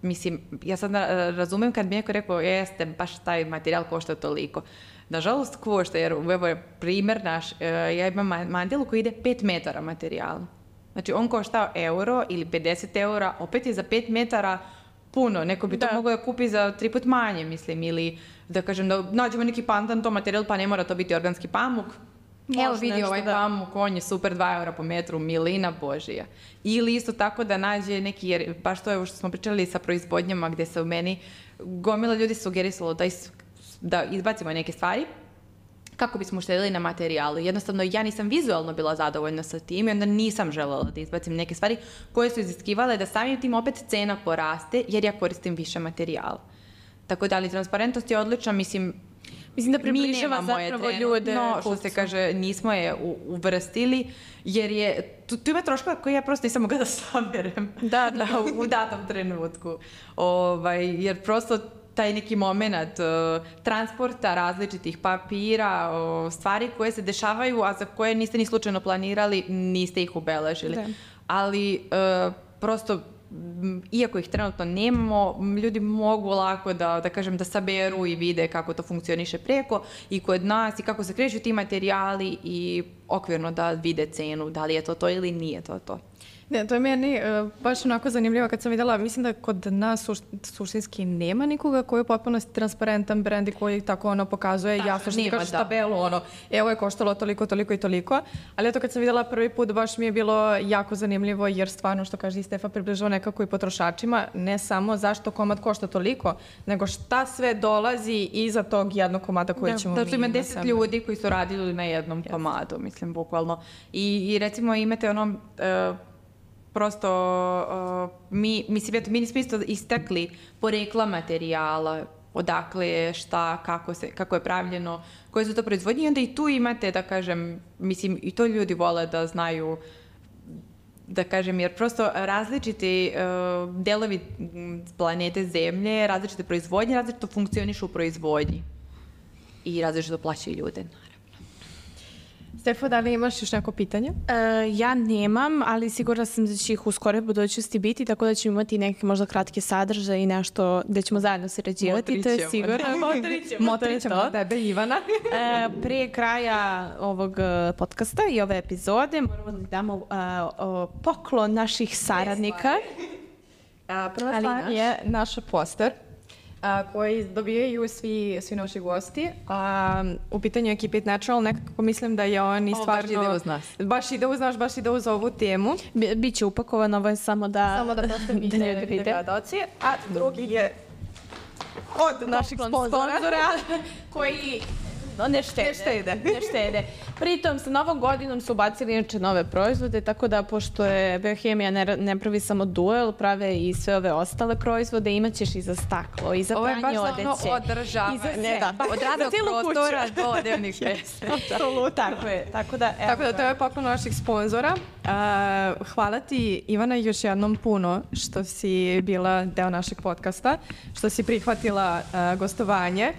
mislim, ja sad razumem kad mi neko rekao, jeste, baš taj materijal košta toliko. Nažalost košta, jer evo je primjer naš, ja imam mandelu koji ide 5 metara materijala. Znači, on košta euro ili 50 eura, opet je za 5 metara puno, neko bi to mogao da kupi za 3 put manje, mislim, ili da kažem da nađemo neki pandan to materijal, pa ne mora to biti organski pamuk. Evo vidi ovaj pamuk, on je super, 2 eura po metru, milina božija. Ili isto tako da nađe neki, jer baš to je što smo pričali sa proizvodnjama gdje se u meni gomila ljudi sugerisalo da izbacimo neke stvari kako bismo uštedili na materijalu. Jednostavno, ja nisam vizualno bila zadovoljna sa tim i onda nisam želela da izbacim neke stvari koje su iziskivale da samim tim opet cena poraste jer ja koristim više materijala. Tako da, ali transparentnost je odlična, mislim da približava zapravo ljude. No, što se kaže, nismo je uvrstili, jer je, tu ima troškova koje ja prosto nisam mogla da saberem u datom trenutku. Jer prosto taj neki moment transporta različitih papira, stvari koje se dešavaju, a za koje niste ni slučajno planirali, niste ih ubeležili. Ali prosto, iako ih trenutno nemamo, ljudi mogu lako da kažem, da saberu i vide kako to funkcioniše preko i kod nas i kako se kreću ti materijali i okvirno da vide cenu, da li je to ili nije to. Ne, to je meni baš onako zanimljivo kad sam vidjela, mislim da kod nas suštinski nema nikoga koji je potpuno transparentan brend i koji tako pokazuje jasno što ti kažeš tabelu, evo je koštalo toliko, toliko i toliko, ali eto kad sam vidjela prvi put baš mi je bilo jako zanimljivo jer stvarno što kaže i Stefa približava nekako i potrošačima, ne samo zašto komad košta toliko, nego šta sve dolazi iza tog jednog komada koji ćemo mi imati. Da, ima 10 ljudi koji su radili na jednom komadu, mislim, bukvalno. I recimo imate prosto, mi nismo isto istakli porekla materijala, odakle je, šta, kako je pravljeno, koje su to proizvodnje i onda i tu imate, da kažem, mislim, i to ljudi vole da znaju da kažem, jer prosto različiti delovi planete Zemlje, različite proizvodnje, različito funkcionišu u proizvodnji i različito plaćaju ljude. Stefo, da li imaš još neko pitanje? Ja nemam, ali sigurna sam da će ih u skoroj budućnosti biti, tako da ćemo imati neke možda kratke sadržaje i nešto gde ćemo zajedno sarađivati. To je sigurno. Motrićemo od tebe, Ivana. Prije kraja ovog podcasta i ove epizode moramo da damo poklon naših saradnika. Prva stvar je naš poster koji dobijaju svi naši gosti. U pitanju je Keep It Natural, nekako mislim da je on i stvarno... Baš ide uz nas. Baš ide uz nas, baš ide uz ovu temu. Biće upakovan, ovo je samo da prosto vidite gledaoci. A drugi je od naših sponzora koji... Ne štede. Pritom sa novom godinom su ubacili inače nove proizvode, tako da pošto je Biohemija ne pravi samo duel, prave i sve ove ostale proizvode, imaćeš i za staklo, i za pranje odeće. Ovo je baš ono održavanje. Od radnog prostora do odevnih mjesta. Tako je. Tako da to je poklon naših sponzora. Hvala ti, Ivana, još jednom puno što si bila deo našeg podcasta, što si prihvatila gostovanje.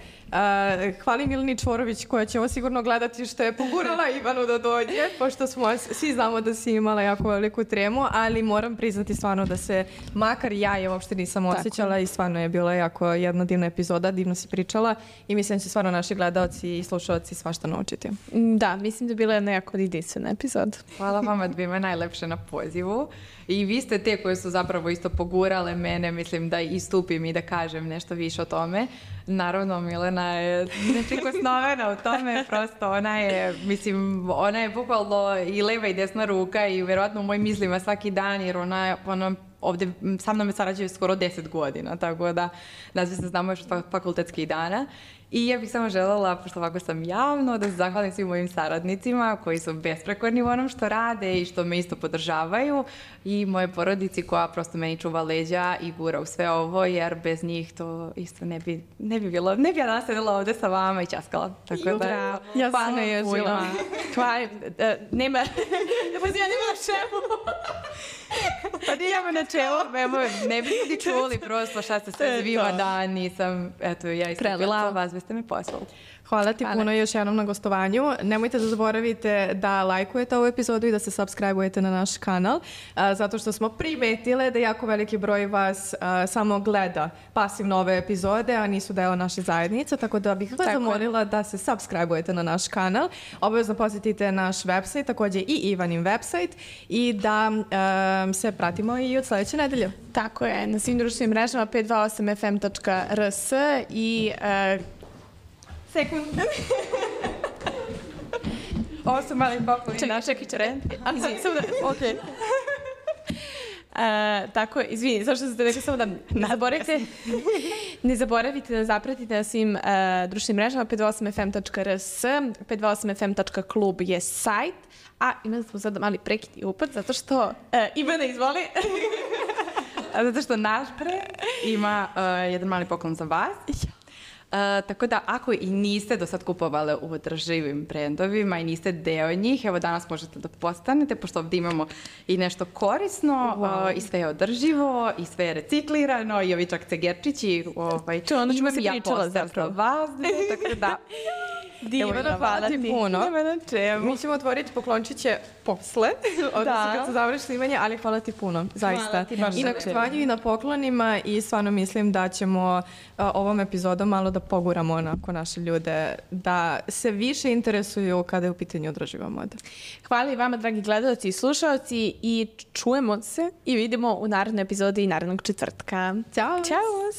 Hvala Milini Čvorović koja će ovo sigurno gledati što je pogurala Ivanu da dođe, pošto svi znamo da si imala jako veliku tremu, ali moram priznati stvarno da se, makar ja je uopšte nisam osjećala i stvarno je bila jako jedna divna epizoda, divno si pričala i mislim da će stvarno naši gledaoci i slušalci svašta naučiti. Da, mislim da je bila jedna jako jedinstvena epizoda. Hvala vama dvima najlepše na pozivu. I vi ste te koje su zapravo isto pogurale mene, mislim da istupim i da kažem nešto više o tome. Naravno, Milena je neprikosnovena u tome, prosto ona je bukvalno i leva i desna ruka i verovatno u mojim mislima svaki dan, jer ona ovdje sa mnom je sarađuje skoro 10 godina, tako da nas se znamo još od fakultetskih dana. I ja bih samo željela, pošto ovako sam javno, da se zahvalim svim mojim saradnicima koji su besprekorni u onom što rade i što me isto podržavaju i moje porodici koja prosto meni čuva leđa i gura u sve ovo, jer bez njih to isto ne bi bilo, ne bi ja danas sedela ovdje sa vama i ćaskala. Tako da, ja sam ježila. Hvala, nema na čemu. Pa nijemo na čemu, ne bi ljudi čuli prosto šta ste sve zvima dan, nisam, eto, ja istupila vas, ste me poslali. Hvala ti puno još jednom na gostovanju. Nemojte da zaboravite da lajkujete ovu epizodu i da se subscribe-ujete na naš kanal, zato što smo primetile da jako veliki broj vas samo gleda pasivno ove epizode, a nisu deo naše zajednice, tako da bih vas zamolila da se subscribe-ujete na naš kanal. Obavezno posjetite naš website, također i Ivanin website i da se pratimo i od sljedeće nedelje. Tako je, na svim društvenim mrežama 528fm.rs i sekund. Ovo su mali pokloni. Čekaj. Okej. Tako, izvini, zašto ste rekli samo da ne zaboravite da zapratite na svim društvenim mrežama 528fm.rs, 528fm.klub je sajt, a imali smo sad mali prekid i upad, zato što Ivana izvoli. Zato što naš ima jedan mali poklon za vas. Tako da ako i niste do sad kupovali u održivim brendovima i niste deo njih, evo danas možete da postanete, pošto ovdje imamo i nešto korisno, i sve je održivo, i sve je reciklirano, i ovi čak cegerčići, ono ćemo se pričala zapravo. Tako da... Divno, hvala ti puno. Mi ćemo otvoriti poklončiće posle, odnosno kad se završi snimanje, ali hvala ti puno, zaista. I na gostovanju i na poklonima i stvarno mislim da ćemo ovom epizodom malo da poguramo onako naše ljude, da se više interesuju kada je u pitanju održiva moda. Hvala i vama, dragi gledalci i slušalci, i čujemo se i vidimo u narednoj epizodi i narednog četvrtka. Ćao! Ćao!